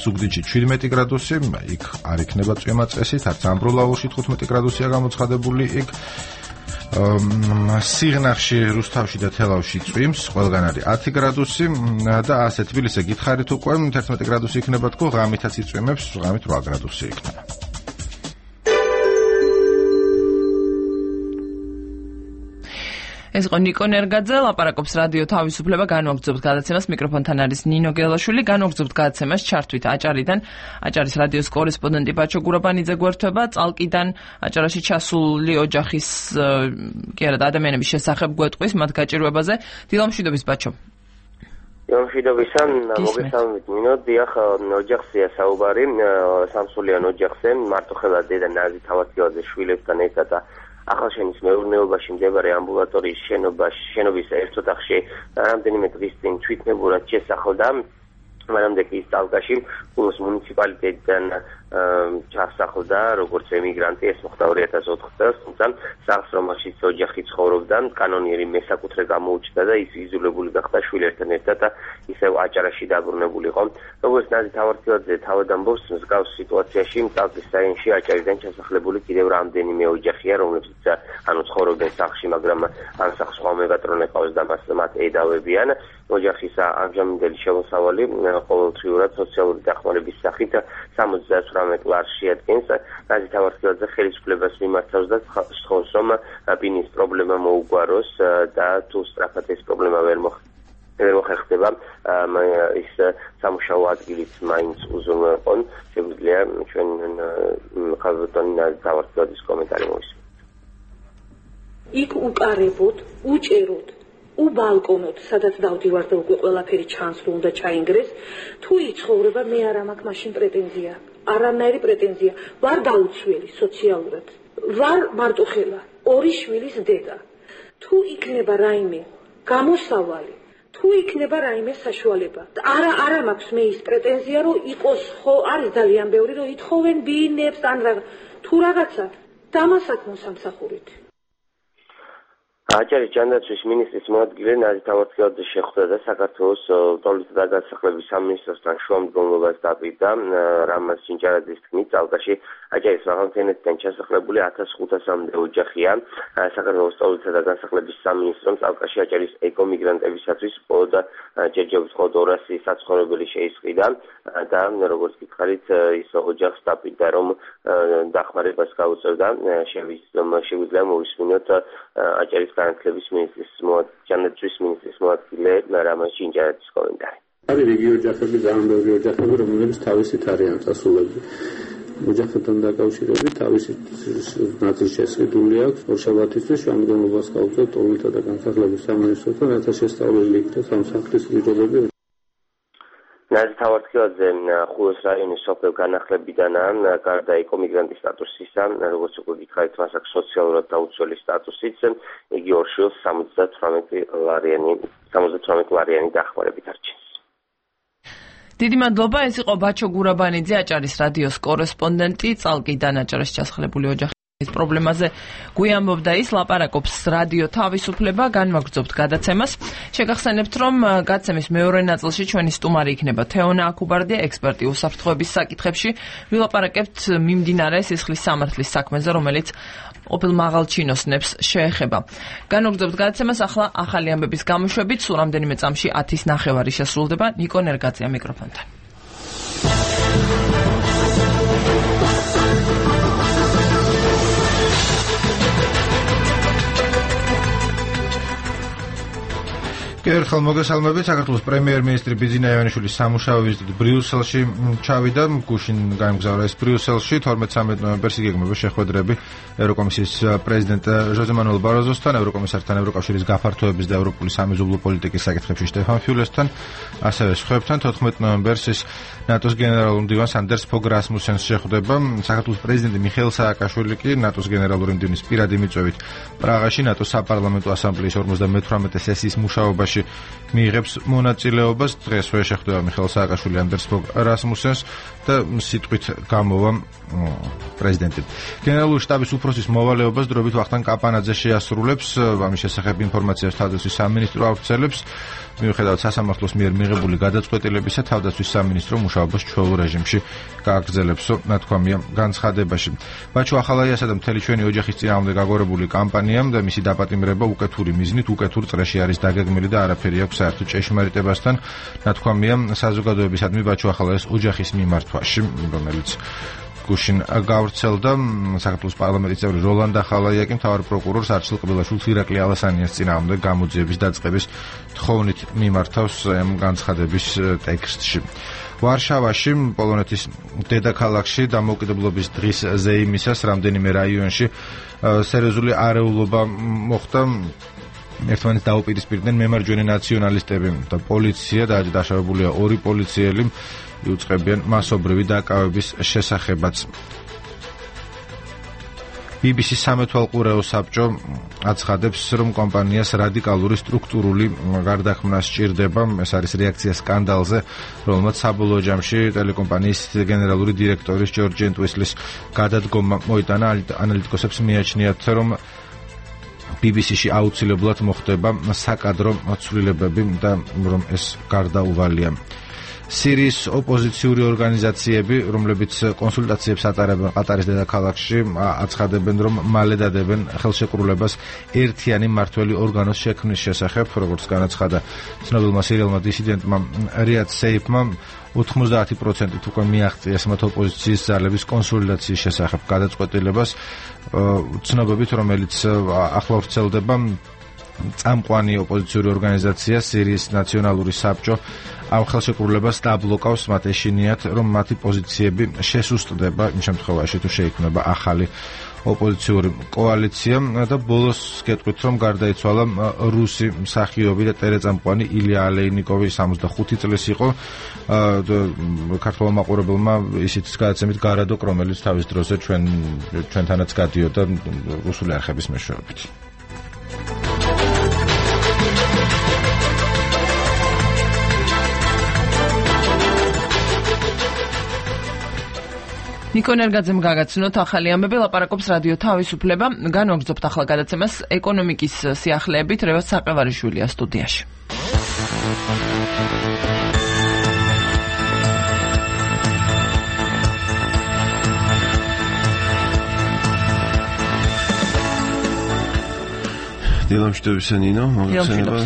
ზუგდიდში შვიდმეტი გრადუსი, იქ არ იქნება წვიმა წესით, არც ამბროლაურში თხუთმეტი გრადუსია გამოცხადებული იქ. სიღნაღში, რუსთავში და თელავში წვიმს, ყველგან არის ათი გრადუსი და ასე თბილისზე გითხარით უკვე თერთმეტი გრადუსი იქნება თქო, ღამითაც იწვიმებს, ღამით რვა გრადუსი იქნება. ეს იყო ნიკო ნერგაძე, ლაპარაკობს რადიო თავისუფლება, განვაგრძობთ გადაცემას, მიკროფონთან არის ნინო გელაშვილი, განვაგრძობთ გადაცემას ჩართვით აჭარიდან, აჭარის რადიოს კორესპონდენტი ბაჩო გურაბანიძე გვერდება, წალკიდან აჭარაში ჩასული ოჯახის კი არა ადამიანების შესახებ გვეტყვის მათ გაჭირვებაზე. დილამშვიდობის ბაჩო. დილამშვიდობისა, მოგესალმებით ნინო, დიახ, ოჯახზეა საუბარი, სამსულიან ოჯახზე, მარტოხელა დედა ნაზი თავადიძე შვილებთან ერთად და ახალშენის მეურნეობაში მდებარე ამბულატორიის შენობაში, შენობის ერთ ოთახში რამდენიმე დღის წინ თვითნებურად შესახლდა, მაგრამ ის წალკაში კულოს მუნიციპალიტეტიდან ჩასახლდა როგორც ემიგრანტი, ეს მოხდა ორი ათას ოთხ წელს, თუმცა სახლს რომელშიც ოჯახი ცხოვრობდა, კანონიერი მესაკუთრე გამოუჩნდა და ის იზოლებული გახდა შვილებთან ერთად და ისევ აჭარაში დაბრუნებულიყო. როგორც ნაზი თავარციოძე თავად ამბობს, მსგავს სიტუაციაში წალკის რაიონში აჭარიდან ჩასახლებული კიდევ რამდენიმე ოჯახია, რომლებიც ანუ ცხოვრობენ სახლში, მაგრამ ან სახლს სხვა მეგატრონე ყავს და მათ ედავებიან. ოჯახის ამჟამინდელი შემოსავალი ყოველდღიურად სოციალური დახმარების სახით სამოცდაოთხ ლარს შეადგენს. ნაზი თავარციოძე ხელისუფლებას მიმართავს და სთხოვს, რომ ბინის პრობლემა მოუგვაროს და თუ სწრაფად ეს პრობლემა ვერ მოხერხდება, ის სამუშაო ადგილიც მაინც უზრუნველყონ. შეგვიძლია ჩვენ ხალხთან ნაზი თავარციოძის კომენტარი მოვისმინოთ. იქ უკარებოდ, უჭეროდ უბალკონოთ, სადაც დავდივარ და უკვე ყველაფერი ჩანს, რომ უნდა ჩაინგრეს, თუ იცხოვრება, მე არ მაქვს მაშინ პრეტენზია, არანაირი პრეტენზია, ვარ დაუცველი სოციალურად, ვარ მარტოხელა, ორი შვილის დედა. თუ იქნება რაიმე გამოსავალი, თუ იქნება რაიმე საშუალება, არა არა მაქვს მე ის პრეტენზია, რომ იყოს ხო, არის ძალიან ბევრი, რომ ითხოვენ ბინებს, ან თუ რაღაცა, დამასაც მოსამსახურით. აჭარის ჯანდაცვის მინისტრის მოადგილე ნაზი თავარციოძე შეხვდა და საქართველოს ტოლისა და განსახლების სამინისტროსთან შუამდგომლობას დაპირდა. რამაზ ჩინჭარაძის თქმით, წალკაში აჭარის მაღალმთიანეთიდან ჩასახლებული ათას ხუთასამდე ოჯახია. საქართველოს ტოლისა და განსახლების სამინისტრომ წალკაში აჭარის ეკომიგრანტებისათვის მხოლოდ ჯერჯერობით მხოლოდ ორასი საცხოვრებელი შეისყიდა და როგორც გითხარით, ის ოჯახს დაპირდა, რომ დახმარებას გაუწევდა. შეგვიძლია მოვისმინოთ აჭარის განათლების მინისტრის ჯანდაცვის მინისტრის მოადგილე რამაზ ჩინჭარაძის კომენტარი. არის რიგი ოჯახები, ძალიან ბევრი ოჯახები, რომლებიც თავისით არიან წასულები. ოჯახებთან დაკავშირებით თავისი ნაწილი შესყიდული აქვს. ორშაბათისთვის შემდგომლობას გაუწევთ ტოლისა და განსახლების სამინისტროსთან, რათა შესწავლილი იქნეს ამ სახლის პირობები. ნაზი თავარციოძე ხულოს რაიონის სოფელ განახლებიდანაა, გარდა ეკომიგრანტის სტატუსისა, როგორც უკვე გითხარით, მას აქვს სოციალურად დაუცველი სტატუსიც, იგი ორ შვილს სამოცდათვრამეტი ლარიანი დახმარებით არჩენს. დიდი მადლობა, ეს იყო ბაჩო გურაბანიძე, აჭარის რადიოს კორესპონდენტი, წალკიდან აჭარაში ჩასახლებული ოჯახის პრობლემაზე გვიამბობდა ის, ლაპარაკობს რადიო თავისუფლება, განვაგრძობთ გადაცემას. შეგახსენებთ, რომ გადაცემის მეორე ნაწილში ჩვენი სტუმარი იქნება თეონა აქუბარდია, ექსპერტი უსაფრთხოების საკითხებში. ვილაპარაკებთ მიმდინარე სისხლის სამართლის საქმეზე, რომელიც ყოფილ მაღალჩინოსნებს შეეხება. განვაგრძობთ გადაცემას ახლა ახალი ამბების გამოშვებით, სულ რამდენიმე წამში ათის ნახევარი შესრულდება. ნიკო ნერგაძეა მიკროფონთან. ერთხელ მოგესალმებით. საქართველოს პრემიერ-მინისტრი ბიძინა ივანიშვილის სამუშაო ვიზიტით ბრიუსელში ჩავიდა. გუშინ გაემგზავრა ეს ბრიუსელში. თორმეტ-ცამეტ ნოემბერს იგეგმება შეხვედრები ევროკომისიის პრეზიდენტ ჟოზე მანუელ ბაროზოსთან, ევროკომისართან, ევროკავშირის გაფართოების და ევროპული სამეზობლო პოლიტიკის საკითხებში შტეფან ფიულესთან, ასევე სხვებთან. თოთხმეტ ნოემბერს ის ნატოს გენერალურ მდივანს ანდერს ფოგ რასმუსენს შეხვდება. საქართველოს პრეზიდენტი მიხეილ სააკაშვილი კი ნატოს გენერალური მდივნის პირადი მიწვევით პრაღაში ნატოს საპარლამენტო ასამბლეის ორმოცდამეთვრამეტე სესიის მუშაობაში შემთხვევაში მიიღებს მონაწილეობას. დღესვე შეხვდება მიხეილ სააკაშვილი ანდერს ფოგ რასმუსენს და სიტყვით გამოვა პრეზიდენტი. გენერალური შტაბის უფროსის მოვალეობას დროებით ვახტანგ კაპანაძე შეასრულებს. ამის შესახებ ინფორმაციას თავდაცვის სამინისტრო ავრცელებს. მიუხედავად სასამართლოს მიერ მიღებული გადაწყვეტილებისა, თავდაცვის სამინისტრო მუშაობას ჩვეულ რეჟიმში გააგრძელებსო, ნათქვამია განცხადებაში. ბაჩო ახალაიასა და მთელი ჩვენი ოჯახის წინააღმდეგ აგორებული კამპანიამ და მისი დაპატიმრება უკეთური მიზნით, უკეთურ წრეში არის დაგეგმილი და არაფერი აქვს საერთო ჭეშმარიტებასთან, ნათქვამია საზოგადოებისადმი ბაჩო ახალაიას ოჯახის მიმართვაში, რომელიც გუშინ გავრცელდა. საქართველოს პარლამენტის წევრი როლანდ ახალაია კი მთავარ პროკურორს არჩილ ყბილაშვილს ირაკლი ალასანიას წინააღმდეგ გამოძიების დაწყების თხოვნით მიმართავს ამ განცხადების ტექსტში. ვარშავაში, პოლონეთის დედაქალაქში დამოუკიდებლობის დღის ზეიმისას რამდენიმე რაიონში სერიოზული არეულობა მოხდა. ერთმანეთს დაუპირისპირდნენ მემარჯვენე ნაციონალისტები და პოლიცია და დაშავებულია ორი პოლიციელი. იუწყებიან მასობრივი დაკავების შესახებაც. ბი ბი სი სამეთვალყურეო საბჭო აცხადებს, რომ კომპანიას რადიკალური სტრუქტურული გარდაქმნა სჭირდება. ეს არის რეაქცია სკანდალზე, რომელმაც საბოლოო ჯამში ტელეკომპანიის გენერალური დირექტორის ჯორჯ ენტვისლის გადადგომა მოიტანა. ანალიტიკოსებს მიაჩნიათ, რომ ბი ბი სი-ში აუცილებლად მოხდება საკადრო ცვლილებები და რომ ეს გარდაუვალია. სირიის ოპოზიციური ორგანიზაციები, რომლებიც კონსულტაციებს ატარებენ ყატარის დედაქალაქში, აცხადებენ, რომ მალე დადებენ ხელშეკრულებას ერთიანი მმართველი ორგანოს შექმნის შესახებ, როგორც განაცხადა ცნობილმა სირიელმა დისიდენტმა რიად სეიფმა. ოთხმოცდაათი პროცენტით უკვე მიაღწიეს მათ ოპოზიციის ძალების კონსოლიდაციის შესახებ გადაწყვეტილებას, ცნობებით, რომელიც ახლა ვრცელდება. წამყვანი ოპოზიციური ორგანიზაცია სირიის ნაციონალური საბჭო ამ ხელშეკრულებას დაბლოკავს, მათ ეშინიათ, რომ მათი პოზიციები შესუსტდება იმ შემთხვევაში, თუ შეიქმნება ახალი ოპოზიციური კოალიცია. და ბოლოს გეტყვით, რომ გარდაიცვალა რუსი მსახიობი და ტელეწამყვანი ილია ალეინიკოვი, სამოცდახუთი წლის იყო. ქართველმა მაყურებელმა ისიც გადაცემით გარადოკ, რომელიც თავის დროზე ჩვენ ჩვენთანაც გადიოდა რუსული არხების მეშვეობით. ნიკო ნერგაძემ გაგაცნოთ ახალი ამბები, ლაპარაკობს რადიო თავისუფლება. განვაგრძობთ ახლა გადაცემას ეკონომიკის სიახლეებით. რევაზ საყევარიშვილია სტუდიაში. დილამშვიდობისა ნინო, მოგხსენება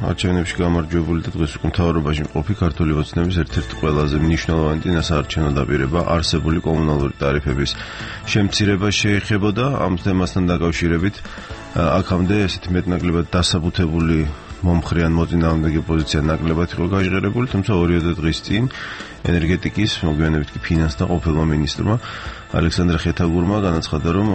არჩევნებში გამარჯვებული და დღეს უკვე მთავრობაში მყოფი ქართული ოცნების ერთ-ერთი ყველაზე მნიშვნელოვანი ნასაარჩევნო დაპირება არსებული კომუნალური ტარიფების შემცირება შეეხებოდა. ამ თემასთან დაკავშირებით აქამდე ესეთი მეტნაკლებად დასაბუთებული მომხრე ან მოწინააღმდეგე პოზიცია ნაკლებად იყო გაჟღერებული, თუმცა ორიოდე დღის წინ ენერგეტიკის, მოგვიანებით კი ფინანსთა ყოფილმა მინისტრმა ალექსანდრე ხეთაგურმა განაცხადა, რომ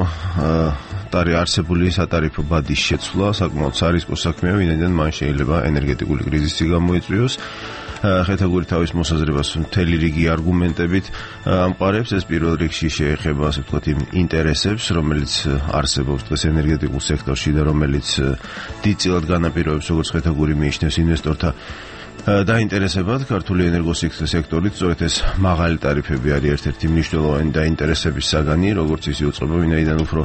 ტარი არსებული სატარიფო ბადის შეცვლა საკმაოდ სარისკო საქმეა, ვინაიდან მან შეიძლება ენერგეტიკული კრიზისი გამოიწვიოს. ხეთაგური თავის მოსაზრებას მთელი რიგი არგუმენტებით ამყარებს. ეს პირველ რიგში შეეხება, ასე ვთქვათ, იმ ინტერესებს, რომელიც არსებობს დღეს ენერგეტიკულ სექტორში და რომელიც დიდწილად განაპირობებს, როგორც ხეთაგური მიიჩნევს, ინვესტორთა დაინტერესებად. ქართული ენერგოსექტორით სწორედ ეს მაღალი ტარიფები არის ერთ-ერთი მნიშვნელოვანი დაინტერესების საგანი, როგორც ის იუწყება, ვინაიდან უფრო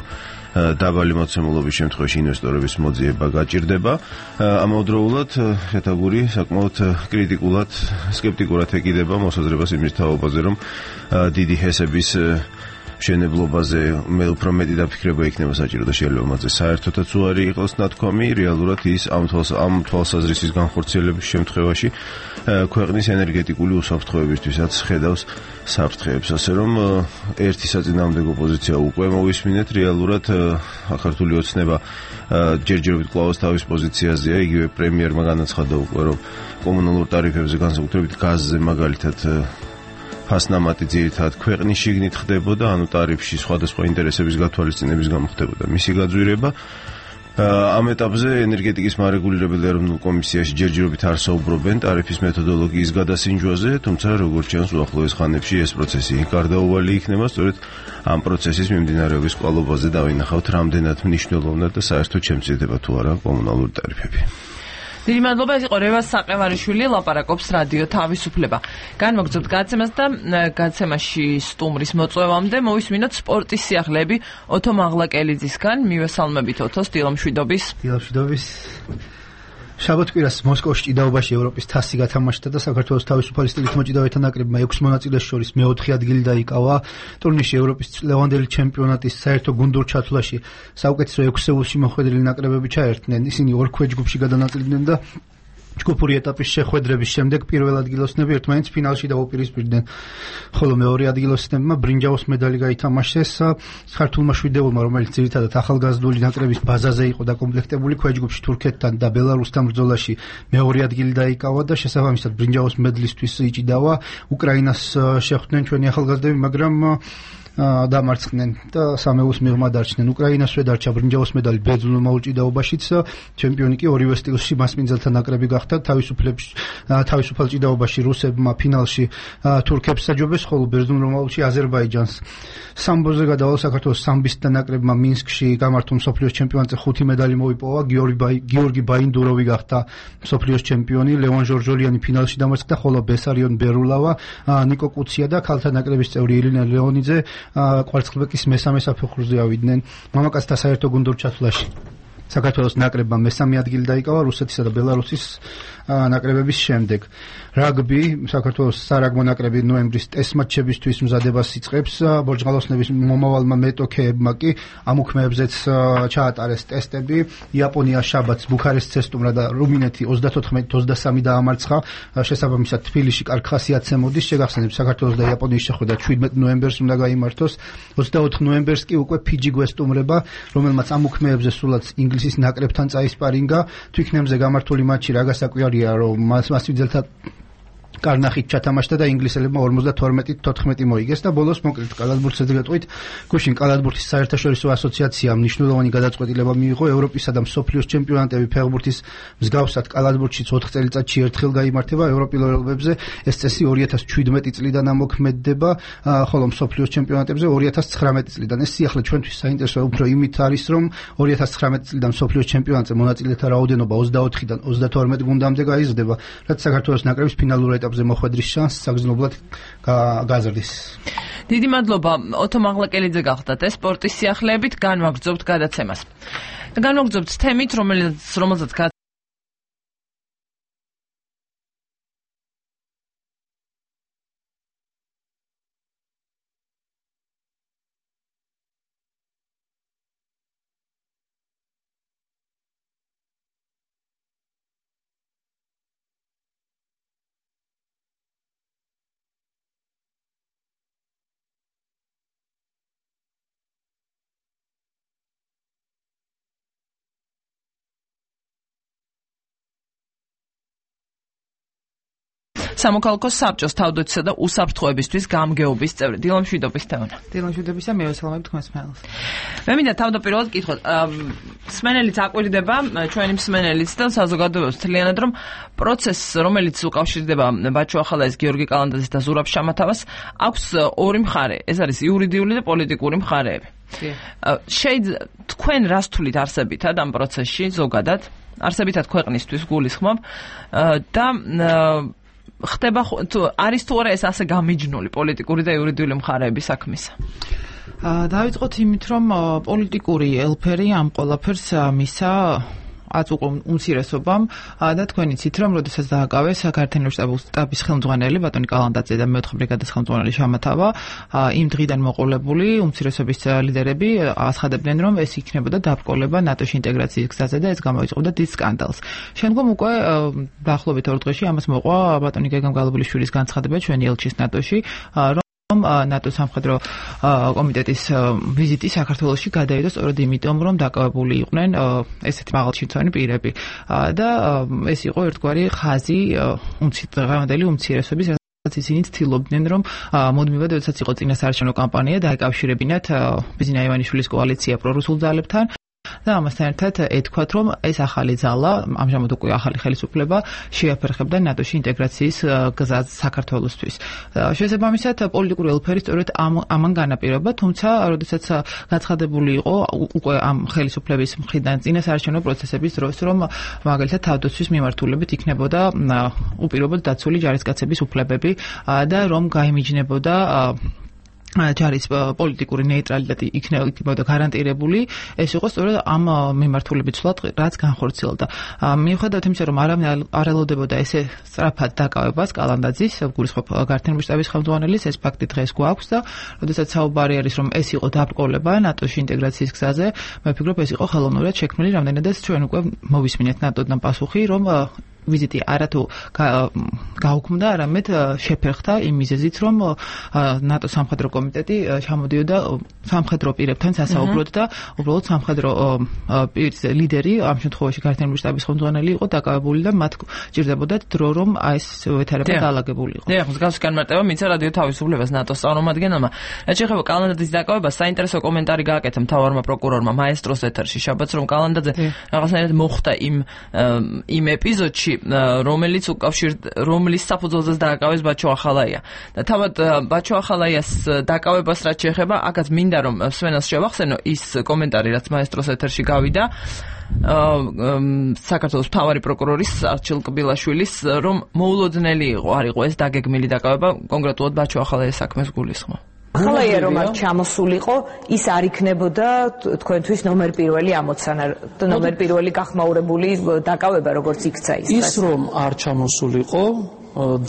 დაბალი მოცემულობის შემთხვევაში ინვესტორების მოძიება გაჭირდება. ამავდროულად ხეთაგური საკმაოდ კრიტიკულად, სკეპტიკურად ეკიდება მოსაზრებას იმის თაობაზე, რომ დიდი ჰესების მშენებლობაზე მე უფრო მეტი დაფიქრება იქნება საჭირო და შეიძლება მასზე საერთოდაც უარი იყოს ნათქვამი. რეალურად ის ამ ამ თვალსაზრისის განხორციელების შემთხვევაში ქვეყნის ენერგეტიკული უსაფრთხოებისთვისაც ხედავს საფრთხეებს, ასე რომ ერთი საწინააღმდეგო პოზიცია უკვე მოვისმინეთ. რეალურად ქართული ოცნება ჯერჯერობით კვლავ თავის პოზიციაზეა. იგივე პრემიერმა განაცხადა უკვე, რომ კომუნალურ ტარიფებზე, განსაკუთრებით გაზზე მაგალითად ფასნამატი ძირითადად ქვეყნის შიგნით ხდებოდა, ანუ ტარიფში სხვადასხვა ინტერესების გათვალისწინების გამო ხდებოდა მისი გაძვირება. ამ ეტაპზე ენერგეტიკის მარეგულირებელი ეროვნულ კომისიაში ჯერჯერობით არ საუბრობენ ტარიფის მეთოდოლოგიის გადასინჯვაზე, თუმცა როგორც ჩანს უახლოეს ხანებში ეს პროცესი გარდაუვალი იქნება. სწორედ ამ პროცესის მიმდინარეობის კვალობაზე დავინახავთ, რამდენად მნიშვნელოვნად და საერთოდ შემცირდება თუ არა კომუნალური ტარიფები. დიდი მადლობა, ეს იყო რევაზ საყევარიშვილი, ლაპარაკობს რადიო თავისუფლება. განმოგრძობთ გაცემას და გაცემაში სტუმრის მოწვევამდე მოვისმინოთ სპორტის სიახლეები ოთო მაღლაკელიძისგან. მივესალმებით ოთოს, დილამშვიდობის. დილამშვიდობის. შაბათ-კვირას მოსკოვში ჭიდაობაში ევროპის თასი გათამაშდა და საქართველოს თავისუფალი სტილით მოჭიდავეთა ნაკრებმა ექვს მონაწილეს შორის მეოთხე ადგილი დაიკავა. ტურნირში ევროპის ლევანდელი ჩემპიონატის საერთო გუნდურ ჩათვლაში საუკეთესო ექვსეულში მოხვედრილი ნაკრებები ჩაერთნენ. ისინი ორ ქვეჯგუფში გადანაწილიდნენ და ჯგუფური ეტაპის შეხვედრების შემდეგ პირველ ადგილოსნები ერთმანეთს ფინალში დაუპირისპირდნენ. ხოლო მეორე ადგილოსნებმა ბრინჯაოს медаლი გაითამაშეს ქართულმა შვიდეულმა, რომელიც ძირითადად ახალგაზრდული ნაკრების ბაზაზე იყო დაკომპლექტებული, ქვეჯგუფში თურქეთთან და ბელარუსთან ბრძოლაში მეორე ადგილი დაიკავა და შესაბამისად ბრინჯაოს მედლისთვის იჭიდავა. უკრაინას შეხვდნენ ჩვენი ახალგაზრდები, მაგრამ დამარცხდნენ და სამეულს მიღმა დარჩნენ. უკრაინასვე დარჩა ბრინჯაოს медаლი ბერძნულმა ჭიდაობაშიც, ჩემპიონი კი ორივე სტილში მასპინძელთა ნაკრები გახდა. თავისუფლებში თავისუფალ ჭიდაობაში რუსებმა ფინალში თურქებს საჯობეს, ხოლო ბერძნულ-რომაულში აზერბაიჯანს. სამბოზე გადავალ საქართველოს სამბისტთა ნაკრებმა მინსკში გამართულ მსოფლიოს ჩემპიონატზე ხუთი медаლი მოიპოვა. გიორგი ბაინდუროვი გახდა მსოფლიოს ჩემპიონი, ლევან ჟორჟოლიანი ფინალში დამარცხდა, ხოლო ბესარიონ ბერულავა, ნიკო კუცია და ქალთა ნაკრების წევრი ელენა ლეონიძე კვარცხლბეკის მესამე საფეხურზე ავიდნენ. მამაკაცთა საერთო გუნდურ ჩათვლაში საქართველოს ნაკრებმა მესამე ადგილი დაიკავა რუსეთისა და ბელარუსის ნაკრებების შემდეგ. რაგბი საქართველოს სარაგბო ნაკრები ნოემბრის ტესტ მატჩებისთვის მზადებას იწყებს. ბორჯღალოსნების მომავალმა მეტოქეებმა კი ამ უქმეებზეც ჩაატარეს ტესტები. იაპონია შაბათს ბუქარესტს ესტუმრა და რუმინეთი ოცდათოთხმეტ ოცდასამი დაამარცხა. შესაბამისად თბილისში კარგ ხასიათზე მოდის. შეგახსენებთ, საქართველოს და იაპონიის შეხვედრა შვიდმეტ ნოემბერს უნდა გაიმართოს. ოცდაოთხ ნოემბერს კი უკვე ფიჯი გვესტუმრება, რომელმაც ამ უქმეებზე სულაც ინგლისის ნაკრებთან წაისპარინგა. თვითნემზე გამართული მატჩი რა გასაკვირია, რომ მასპინძელთა კარნახით ჩათამაშდა და ინგლისელებმა ორმოცდათორმეტ თოთხმეტი მოიგეს და ბოლოს მოკლედ კალათბურთზე გეტყვით, გუშინ კალათბურთის საერთაშორისო ასოციაციამ მნიშვნელოვანი გადაწყვეტილება მიიღო. ევროპისა და მსოფლიოს ჩემპიონატები ფეხბურთის მსგავსად კალათბურთშიც ოთხ წელიწადში ერთხელ გაიმართება. ევროპილოებებზე ეს წესი ორი ათას ჩვიდმეტი წლიდან ამოქმედდება, ხოლო მსოფლიოს ჩემპიონატებზე ორი ათას ცხრამეტი წლიდან. ეს სიახლე ჩვენთვის საინტერესოა უფრო იმით არის, რომ ორი ათას ცხრამეტი წლიდან მსოფლიოს ჩემპიონატზე მონაწილეთა რაოდენობა ოცდაოთხიდან ოცდათორმეტ გუნდამდე გაიზრდება, რაც საქართველოს ნაკრების ფინალურ ეტაპზე მოხვედრის შანსს საგრძნობლად გაზრდის. დიდი მადლობა ოთო მაღლაკელიძე გახდათ ეს სპორტის სიახლეებით. განვაგრძობთ გადაცემას. განვაგრძობთ თემით, რომელიც რომელზეც სამოქალაქო საბჭოს თავდაცვისა და უსაფრთხოებისთვის გამგეობის წევრი. დილამშვიდობის თეონა. დილამშვიდობისა, მივესალმებით თქვენს მსმენელს. მე მინდა თავდაპირველად გითხოთ, მსმენელიც აკვირდება, ჩვენი მსმენელიც და საზოგადოებას მთლიანად, რომ პროცესს, რომელიც უკავშირდება ბაჩო ახალაის, გიორგი კალანდაძეს და ზურაბ შამათავას, აქვს ორი მხარე. ეს არის იურიდიული და პოლიტიკური მხარეები. შეიძლება თქვენ რას თulit არსებითად ამ პროცესში ზოგადად, არსებითად ქვეყნისთვის გულისხმობ და ხდება თუ არის თუ არა ეს ასე გამიჯნული პოლიტიკური და იურიდიული მხარეების საქმისა? დავიწყოთ იმით, რომ პოლიტიკური ელფერი ამ ყველაფერს მისა ათ უკვე უმცირესობამ და თქვენ იცით, რომ როდესაც დააკავეს საქართველოს შტაბის ხელმძღვანელი ბატონი კალანდაძე და მეოთხე ბრიგადის ხელმძღვანელი შამათავა, იმ დღიდან მოყოლებული უმცირესობის ლიდერები აცხადებდნენ, რომ ეს იქნებოდა დაბრკოლება ნატოში ინტეგრაციის გზაზე და ეს გამოიწყობდა დიდ სკანდალს. შემდგომ უკვე დაახლოებით ორ დღეში ამას მოყვა ბატონი გეგამ გალობულიშვილის განცხადება ჩვენი ელჩის ნატოში, ნატო სამხედრო კომიტეტის ვიზიტი საქართველოში გადაიდო სწორედ იმიტომ, რომ დაკავებული იყვნენ ესეთი მაღალჩინწონი პირები და ეს იყო ერთგვარი ხაზი დღევანდელი უმცირესობის, რაც ისინი ცდილობდნენ, რომ მუდმივად, როდესაც იყო წინასაარჩევნო კამპანია, დაეკავშირებინათ ბიზნა ივანიშვილის კოალიცია პრორუსულ ძალებთან და ამასთან ერთად ეთქვათ, რომ ეს ახალი ძალა, ამჟამად უკვე ახალი ხელისუფლება შეაფერხებდა ნატოში ინტეგრაციის გზას საქართველოსთვის. შესაბამისად, პოლიტიკური ელფერი სწორედ ამან განაპირობა, თუმცა, როდესაც გაცხადებული იყო უკვე ამ ხელისუფლების მხრიდან წინასაარჩევნო პროცესების დროს, რომ მაგალითად თავდაცვის მიმართულებით იქნებოდა უპირობოდ დაცული ჯარისკაცების უფლებები და რომ გაიმიჯნებოდა ჯარის პოლიტიკური ნეიტრალიტეტი იქნებოდა გარანტირებული, ეს იყო სწორედ ამ მიმართულებით ცვლად, რაც განხორციელდა. მიუხედავად იმისა, რომ არავინ არ ელოდებოდა ესე სწრაფად დაკავებას კალანდაძის, გულისხმობ გართენების შტაბის ხელმძღვანელის, ეს ფაქტი დღეს გვაქვს და როდესაც საუბარი არის, რომ ეს იყო დაბრკოლება ნატოში ინტეგრაციის გზაზე, მე ვფიქრობ, ეს იყო ხელოვნურად შექმნილი, რამდენადაც ჩვენ უკვე მოვისმინეთ ნატოდან პასუხი, რომ ვიზიტი არათუ გაუქმდა, არამედ შეფერხდა იმ მიზეზით, რომ ნატო სამხედრო კომიტეტი ჩამოდიოდა სამხედრო პირებთან სასაუბროდ და უბრალოდ სამხედრო პირის ლიდერი, ამ შემთხვევაში გართენების შტაბის ხელმძღვანელი იყო დაკავებული და მათ ჭირდებოდათ დრო, რომ ეს ვითარება დაალაგებულიყო. დიახ, მსგავსი განმარტება მიცა რადიო თავისუფლებას ნატოს წარმომადგენელმა. რაც შეეხება კალანდაძის დაკავებას, საინტერესო კომენტარი გააკეთა მთავარმა პროკურორმა მაესტროს ეთერში შაბათს, რომ კალანდაძე რაღაცნაირად მოხვდა იმ იმ ეპიზოდში, რომელიც უკავშირ რომლის საფუძველზეც დააკავეს ბაჩო ახალაია. და თავად ბაჩო ახალაიას დაკავებას რაც შეეხება, აქაც მინდა რომ სვენას შევახსენო ის კომენტარი, რაც მაესტროს ეთერში გავიდა, საქართველოს მთავარი პროკურორის არჩილ კბილაშვილის, რომ მოულოდნელი იყო, არ იყო ეს დაგეგმილი დაკავება, კონკრეტულად ბაჩო ახალაიას საქმეს გულისხმობ. ახალაია რომ არ ჩამოსულიყო, ის არ იქნებოდა თქვენთვის ნომერ პირველი ამოცანა, ნომერ პირველი გახმაურებული დაკავება, როგორც იქცა ის. ის რომ არ ჩამოსულიყო,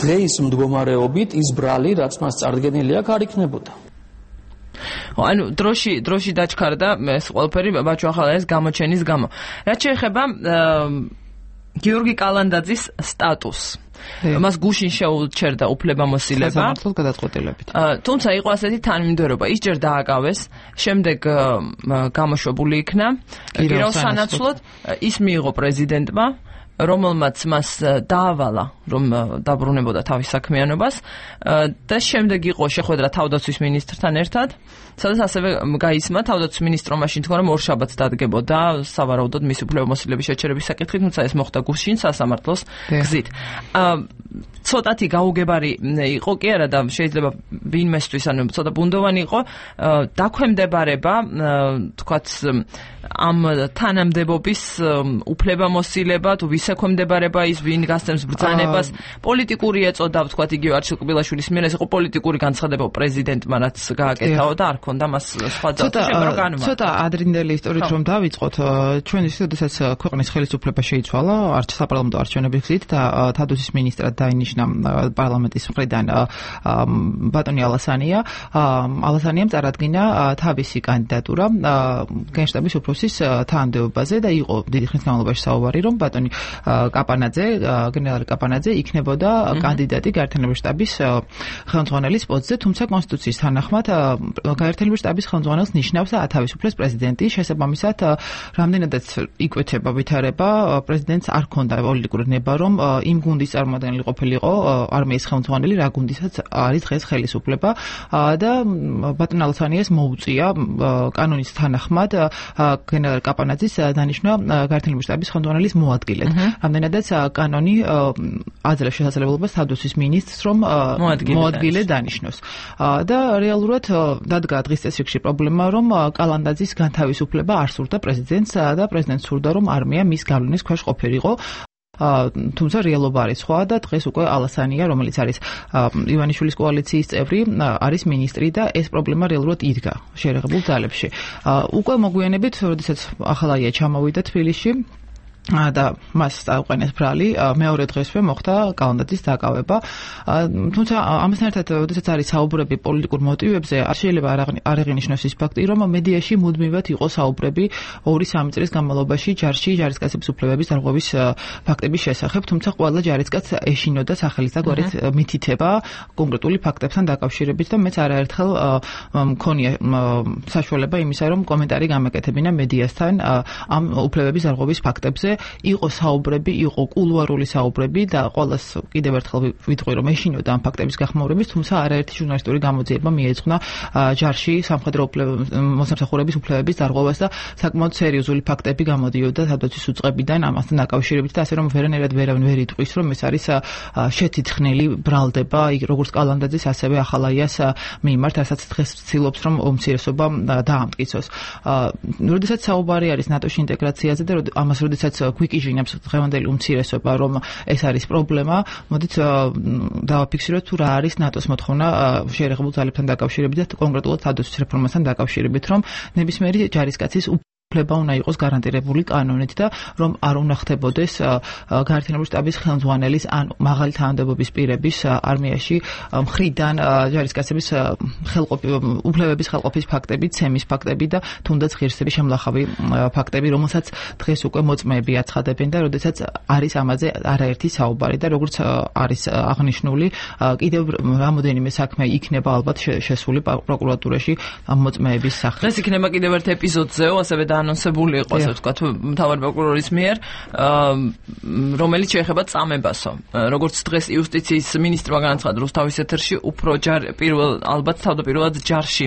დღეის მდგომარეობით ის ბრალი, რაც მას წარდგენილი აქვს, არ იქნებოდა. ანუ დროში დროში დაჩქარდა ეს ყველაფერი ბაჩო ახალაიას გამოჩენის გამო. რაც შეეხება გიორგი კალანდაძის სტატუსს, მას გუშინ შეუჩერდა უფლებამოსილება სასამართლოს გადაწყვეტილებით. თუმცა იყო ასეთი თანმიმდევრობა, ის ჯერ დააკავეს, შემდეგ გამოშვებული იქნა გირაოს სანაცვლოდ, ის მიიღო პრეზიდენტმა, რომელმაც მას დაავალა, რომ დაბრუნებოდა თავის საქმიანობას და შემდეგ იყო შეხვედრა თავდაცვის მინისტრთან ერთად, სადაც ასევე გაისმა თავდაცვის მინისტრმა მაშინ თქვა, რომ ორშაბათს დადგებოდა სავარაუდოდ მისი უფლებამოსილების შეჩერების საკითხი, თუმცა ეს მოხდა გუშინ სასამართლოს გზით. ცოტათი გაუგებარი იყო კი არა და შეიძლება ვინმესთვის, ანუ ცოტა ბუნდოვანი იყო დაქვემდებარება, თქვათ, ამ თანამდებობის უფლებამოსილება, თუ ვის ექვემდებარება ის, ვინ გასცემს ბრძანებას, პოლიტიკური ეწოდა, ვთქვათ, იგივე არჩილ კბილაშვილის მიერ, ეს იყო პოლიტიკური განცხადება პრეზიდენტმა, რაც გააკეთაო და არ ქონდა მას სხვა ძალა. ცოტა ადრინდელი ისტორიით რომ დავიწყოთ, ჩვენ ისე, როდესაც ქვეყნის ხელისუფლება შეიცვალა, საპარლამენტო არჩევნების გზით და თავდაცვის მინისტრად დაინიშნა პარლამენტის მხრიდან ბატონი ალასანია, ალასანიამ წარადგინა თავისი კანდიდატურა გენშტაბის უფროსის თანამდებობაზე და იყო დიდი ხნის განმავლობაში საუბარი, რომ ბატონი კაპანაძე, გენერალი კაპანაძე იქნებოდა კანდიდატი გაერთიანებების შტაბის ხელმძღვანელის პოსტზე, თუმცა კონსტიტუციის თანახმად გაერთიანებების შტაბის ხელმძღვანელს ნიშნავს ათავისუფლებს პრეზიდენტი, შესაბამისად რამდენადაც იკვეთება ვითარება, პრეზიდენტს არ ჰქონდა პოლიტიკური ნება, რომ იმ გუნდის წარმომადგენელი ყოფილიყო არმიის ხელმძღვანელი, რა გუნდისაც არის დღეს ხელისუფლება და ბატონ ალასანიას მოუწია კანონის თანახმად გენერალ კაპანაძის დანიშვნა გაერთიანებების შტაბის ხელმძღვანელის მოადგილედ. რამდენადაც კანონი აძლევს შესაძლებლობას თავდაცვის მინისტრს, რომ მოადგილედ დანიშნოს. და რეალურად დადგა დღის წესრიგში პრობლემა, რომ კალანდაძის განთავისუფლება არ სურდა პრეზიდენტს და პრეზიდენტს სურდა, რომ არმია მის გავლენის ქვეშ ყოფილიყო. თუმცა რეალობა არის სხვა და დღეს უკვე ალასანია, რომელიც არის ივანიშვილის კოალიციის წევრი, არის მინისტრი და ეს პრობლემა რეალურად იდგა შეერაღებულ ძალებში. უკვე მოგვიანებით, როდესაც ახალაია ჩამოვიდა თბილისში და მას წაუყენეს ბრალი, მეორე დღესვე მოხდა კალანდაძის დაკავება. თუმცა ამასთან ერთად, როდესაც არის საუბრები პოლიტიკურ მოტივებზე, არ შეიძლება არ აღინიშნოს ის ფაქტი, რომ მედიაში მუდმივად იყო საუბრები ორი სამი წლის განმავლობაში ჯარში ჯარისკაცების უფლებების დარღვევის ფაქტების შესახებ, თუმცა ყველა ჯარისკაცს ეშინოდა სახელის და გვარის მითითება კონკრეტული ფაქტებთან დაკავშირებით და მეც არაერთხელ მქონია საშუალება იმისა, რომ კომენტარი გამეკეთებინა მედიასთან ამ უფლებების დარღვევის ფაქტებზე იყო საუბრები, იყო კულუარული საუბრები და ყოველას კიდევ ერთხელ ვიტყვი რომ ეშინოდა ამ ფაქტების გახმაურების, თუმცა არაერთი ჟურნალისტური გამოძიება მიეძღვნა ჯარში სამხედრო მოსამსახურების უფლებების დარღვევას და საკმაოდ სერიოზული ფაქტები გამოდიოდა თავდაცვის უწყებიდან ამასთან დაკავშირებით და ასე რომ ვერანაირად ვერავინ ვერ იტყვის რომ ეს არის შეთითხნილი ბრალდება როგორც კალანდაძის ასევე ახალაიას მიმართ, რასაც დღეს ცდილობს რომ უმცირესობა დაამტკიცოს. როდესაც საუბარი არის ნატოში ინტეგრაციაზე და ამას როდესაც გვიკიჟინებს დღევანდელი უმცირესობა რომ ეს არის პრობლემა, მოდით დავაფიქსიროთ თუ რა არის ნატოს მოთხოვნა შეერაღებულ ძალებთან დაკავშირებით და კონკრეტულად თავდაცვის რეფორმასთან დაკავშირებით, რომ ნებისმიერი ჯარისკაცის უფლება უნდა იყოს გარანტირებული კანონით და რომ არ უნდა ხდებოდეს გაერთიანებული შტაბის ხელმძღვანელის ან მაღალი თანამდებობის პირების არმიაში მხრიდან ჯარისკაცების უფლებების ხელყოფის ფაქტები, ცემის ფაქტები და თუნდაც ღირსების შემლახავი ფაქტები, რომელსაც დღეს უკვე მოწმეები აცხადებენ და როდესაც არის ამაზე არაერთი საუბარი და როგორც არის აღნიშნული, კიდევ რამოდენიმე საქმე იქნება ალბათ შესული პროკურატურაში ამ მოწმეების სახით. დღეს იქნება კიდევ ერთ ეპიზოდზეო, ასევე ანონსებული იყო, ასე ვთქვათ, მთავარი პროკურორის მიერ, რომელიც შეეხება წამებასო. როგორც დღეს იუსტიციის მინისტრმა განაცხადა რუსთავის ეთერში, უფრო პირველ ალბათ თავდაპირველად ჯარში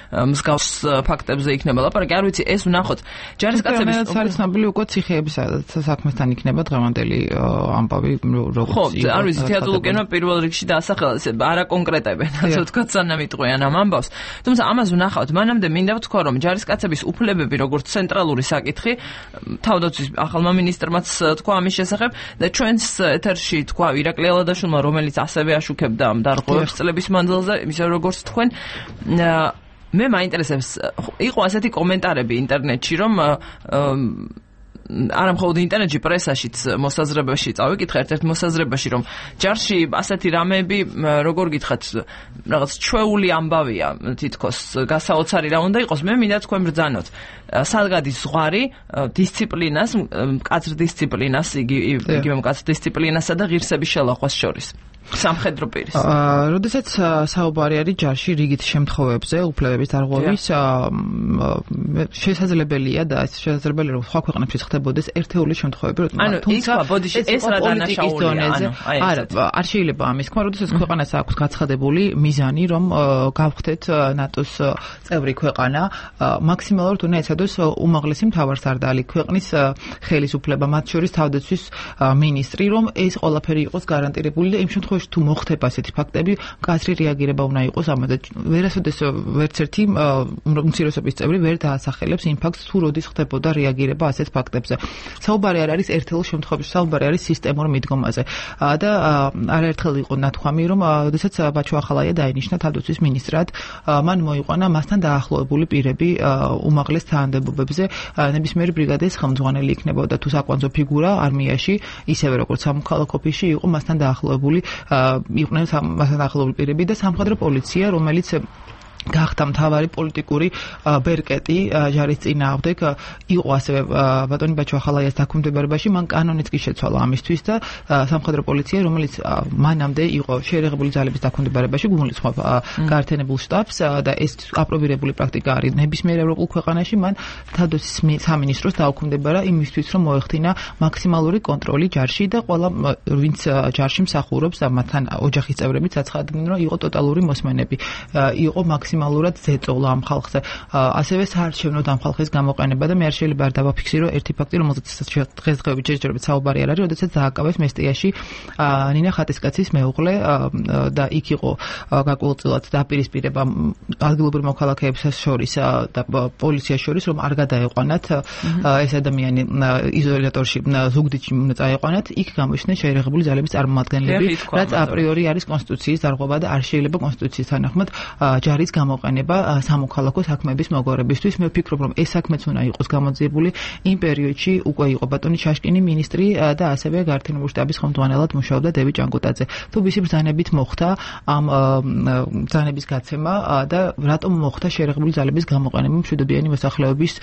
მსგავს ფაქტებზე იქნება ლაპარაკი. არ ვიცი, ეს ვნახოთ. ჯარისკაცების არის ცნობილი უკვე ციხეების საქმესთან იქნება დღევანდელი ამბავი როგორც ხო, არ ვიცი, თეატრულკენმა პირველ რიგში დაასახელა, არა კონკრეტებენ, ასე ვთქვათ, სანამ იტყვიან ამ ამბავს. თუმცა ამას ვნახავთ, მანამდე მინდა ვთქვა, რომ ჯარისკაცების უფლებები როგორც ცენტრალური საკითხი, თავდაცვის ახალმა მინისტრმაც თქვა ამის შესახებ და ჩვენს ეთერში თქვა ირაკლი ალადაშვილმა, რომელიც ასევე აშუქებდა ამ დარღვევებს წლების მანძილზე, ისე როგორც თქვენ მე მაინტერესებს, იყო ასეთი კომენტარები ინტერნეტში, რომ არა მხოლოდ ინტერნეტში, პრესაშიც მოსაზრებაში წავიკითხე ერთ-ერთ მოსაზრებაში, რომ ჯარში ასეთი რამეები, როგორ გითხრათ, რაღაც ჩვეული ამბავია, თითქოს გასაოცარი რა უნდა იყოს. მე მინდა თქვენ ბრძანოთ. სადგადის ზღვარი დისციპლინას, მკაცრ დისციპლინას, იგივე მკაცრ დისციპლინასა და ღირსების შელახვას შორის. სამხედრო პირის. აა, როდესაც საუბარი არის ჯარში რიგით შემთხვევებზე, უფლებების დარღვევის, შესაძლებელია და ეს შესაძლებელია რომ სხვა ქვეყნებში ხდებოდეს ერთეული შემთხვევები, ანუ თუმცა ბოდიში ეს რა დანაშაულია, ანუ არა, არ შეიძლება ამის თქმა, როდესაც ქვეყანას აქვს გაცხადებული მიზანი, რომ გავხდეთ ნატოს წევრი ქვეყანა, მაქსიმალურად უნდა ეცადოს უმაღლესი მთავარსარდალი ქვეყნის ხელისუფლება, მათ შორის თავდაცვის მინისტრი, რომ ეს ყველაფერი იყოს გარანტირებული და იმ შემთხვევაში თუ მოხდება ასეთი ფაქტები, მკაცრი რეაგირება უნდა იყოს ამაზე. ვერასოდეს ვერც ერთი უმცირესობის წევრი ვერ დაასახელებს იმ ფაქტს, თუ როდის ხდებოდა რეაგირება ასეთ ფაქტებზე. საუბარი არ არის ერთეულ შემთხვევებში, საუბარი არის სისტემურ მიდგომაზე. და არაერთხელ იყო ნათქვამი, რომ როდესაც ბაჩო ახალაია დაინიშნა თავდაცვის მინისტრად, მან მოიყვანა მასთან დაახლოებული პირები უმაღლეს თანამდებობებზე, ნებისმიერი ბრიგადის ხელმძღვანელი იქნებოდა თუ საკვანძო ფიგურა არმიაში, ისევე როგორც სამოქალაქო ოფისში იყო მასთან დაახლოებული იყვნენ მასთან დაახლოებული პირები და სამხედრო პოლიცია, რომელიც გახდა მთავარი პოლიტიკური ბერკეტი ჯარის წინააღმდეგ, იყო ასევე ბატონი ბაჩო ახალაიას დაქვემდებარებაში, მან კანონიც კი შეცვალა ამისთვის და სამხედრო პოლიცია, რომელიც მანამდე იყო შეერაღებული ძალების დაქვემდებარებაში, გულისხმობ გაერთიანებულ შტაბს და ეს აპრობირებული პრაქტიკა არის ნებისმიერ ევროპულ ქვეყანაში, მან თავდაცვის სამინისტროს დაუქვემდებარა იმისთვის, რომ მოეხდინა მაქსიმალური კონტროლი ჯარში და ყველა ვინც ჯარში მსახურობს და მათთან ოჯახის წევრებიც აცხადებდნენ, რომ იყო ტოტალური მოსმენები, იყო მაქსიმალური მაქსიმალურად ზეწოლა ამ ხალხზე. ასევე საარჩევნო ამ ხალხის გამოყენება და მე არ შეიძლება არ დავაფიქსირო ერთი ფაქტი, რომელზეც დღესდღეობით შეჯერებით საუბარი არ არის, როდესაც დააკავეს მესტიაში ნინა ხატისკაცის მეუღლე და იქ იყო გაკულწილად დაპირისპირება ადგილობრივ მოქალაქეებს შორის და პოლიციას შორის, რომ არ გადაეყვანათ ეს ადამიანი იზოლატორში ზუგდიდში უნდა წაეყვანათ, იქ გამოჩნდნენ შეერაღებული ძალების წარმომადგენლები, რაც აპრიორი არის კონსტიტუციის დარღვევა და არ შეიძლება კონსტიტუციის თანახმად ჯარის გამოყენება სამოქალაქო საქმეების მოგვარებისთვის. მე ვფიქრობ, რომ ეს საქმეც უნდა იყოს გამოძიებული. იმ პერიოდში უკვე იყო ბატონი შაშკინი მინისტრი და ასევე გაერთიანებული შტაბის ხელმძღვანელად მუშაობდა დევიდ ჭანკუტაძე. თუ ვისი ბრძანებით მოხდა ამ ბრძანების გაცემა და რატომ მოხდა შეერაღებული ძალების გამოყენება მშვიდობიანი მოსახლეობის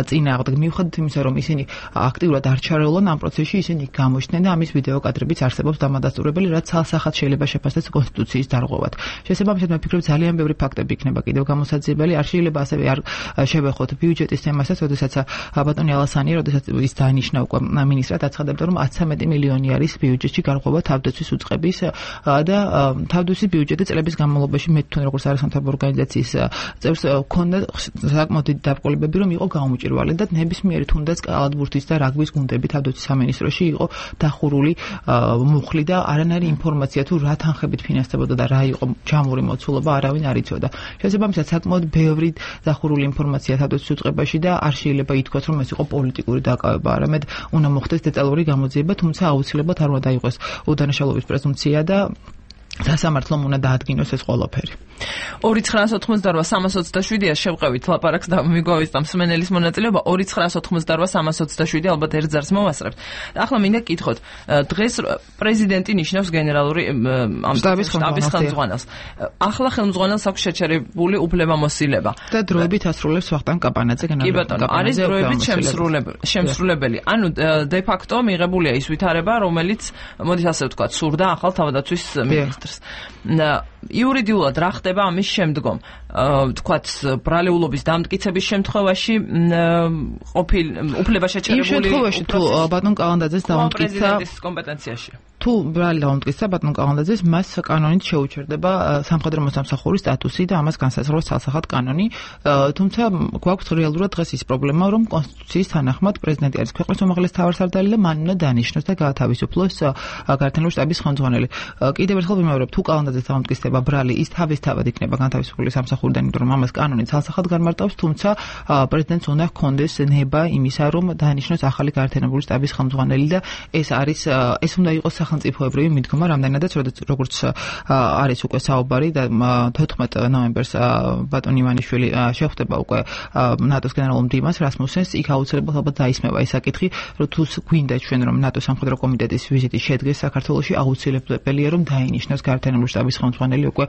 წინააღმდეგ? მიუხედავად იმისა, რომ ისინი აქტიურად არ ჩარეულან ამ პროცესში, ისინი გამოჩნდნენ და ამის ვიდეო კადრებიც არსებობს დამადასტურებელი, რაც ცალსახად შეიძლება შეფასდეს კონსტიტუციის დარღვევად. შესაბამისად, მე ვფიქრობ, ძალიან ბევრი ფაქტები იქნება იქნება კიდევ გამოსაძიებელი. არ შეიძლება ასევე არ შევეხოთ ბიუჯეტის თემასაც, როდესაც ბატონი ალასანი, როდესაც ის დაინიშნა უკვე მინისტრად, აცხადებდა, რომ ათსამეტი მილიონი არის ბიუჯეტში გარღვევა თავდაცვის უწყების და თავდაცვის ბიუჯეტი წლების განმავლობაში მე თვითონ როგორც არასამთავრობო ორგანიზაციის წევრს ქონდა საკმაოდ დიდი დაბრკოლებები, რომ იყო გაუმჭირვალი და ნებისმიერი თუნდაც კალათბურთის და რაგბის გუნდები თავდაცვის სამინისტროში იყო დახურული მუხლი და არანაირი ინფორმაცია თუ რა თანხებით ფინანსდებოდა და რა იყო ჯამური მოცულობა არავინ არ იცოდა. შესაბამისად საკმაოდ ბევრი დახურული ინფორმაცია თავდაცვის უწყებაში და არ შეიძლება ითქვას, რომ ეს იყო პოლიტიკური დაკავება, არამედ უნდა მოხდეს დეტალური გამოძიება, თუმცა აუცილებლად არ უნდა დაიყოს უდანაშაულობის პრეზუმპცია და სასამართლომ უნდა დაადგინოს ეს ყველაფერი. ორი ცხრაას ოთხმოცდაოთხ სამას ოცდაშვიდია შევყევით ლაპარაკს და მიგვავისწამ მსმენელის მონაწილეობა ორი ცხრაას ოთხმოცდაოთხ სამას ოცდაშვიდი ალბათ ერთ ზარს მოვასწრებთ. ახლა მინდა გითხოთ, დღეს პრეზიდენტი ნიშნავს გენერალური შტაბის ხელმძღვანელს. ახლა ხელმძღვანელს აქვს შეჩერებული უფლებამოსილება და დროებით ასრულებს ვახტანგ კაპანაძე გენერალური კაპანაძე. არის დროებით შემსრულებელი. ანუ დე ფაქტო მიღებულია ის ვითარება, რომელიც მოდის ასე ვთქვათ, სურდა ახალ თავდაცვის მინისტრს. იურიდიულად რა ხდება ამის შემდგომ? ვთქვათ, ბრალეულობის დამტკიცების შემთხვევაში ყოფილ უფლება შეჩერებული. იმ შემთხვევაში თუ ბატონ კალანდაძეს დაამტკიცა პრეზიდენტის კომპეტენციაში. თუ ბრალი დაამტკიცა ბატონ კალანდაძეს, მას კანონით შეუჩერდება სამხედრო მოსამსახურის სტატუსი და ამას განსაზღვრავს ცალსახად კანონი. თუმცა გვაქვს რეალურად დღეს ის პრობლემა, რომ კონსტიტუციის თანახმად პრეზიდენტი არის ქვეყნის უმაღლესი თავმჯდომარე და მან უნდა დანიშნოს და გაათავისუფლოს გართენლური შტაბის ხელმძღვანელი. კიდევ ერთხელ ვიმეორებ, თუ კალანდაძეს დაამტკიცდება ბრალი, ის თავისთავად იქნება განთავისუფლებული სამსახურიდან, იმიტომ რომ ამას კანონი ცალსახად განმარტავს, თუმცა პრეზიდენტს უნდა ჰქონდეს ნება იმისა, რომ დანიშნოს ახალი გართენლური შტაბის ხელმძღვანელი და ეს არის ეს უნდა იყოს სახელმწიფოებრივი მიდგომა, რამდენადაც როგორც არის უკვე საუბარი და თოთხმეტ ნოემბერს ბატონ ივანიშვილი შეხვდება უკვე ნატოს გენერალურ მდივანს რასმუსენს, იქ აუცილებლად ალბათ დაისმევა ეს საკითხი, რომ თუ გვინდა ჩვენ რომ ნატოს სამხედრო კომიტეტის ვიზიტი შედგეს საქართველოში, აუცილებელია რომ დაინიშნოს გართენლური შტაბის ხელმძღვანელი უკვე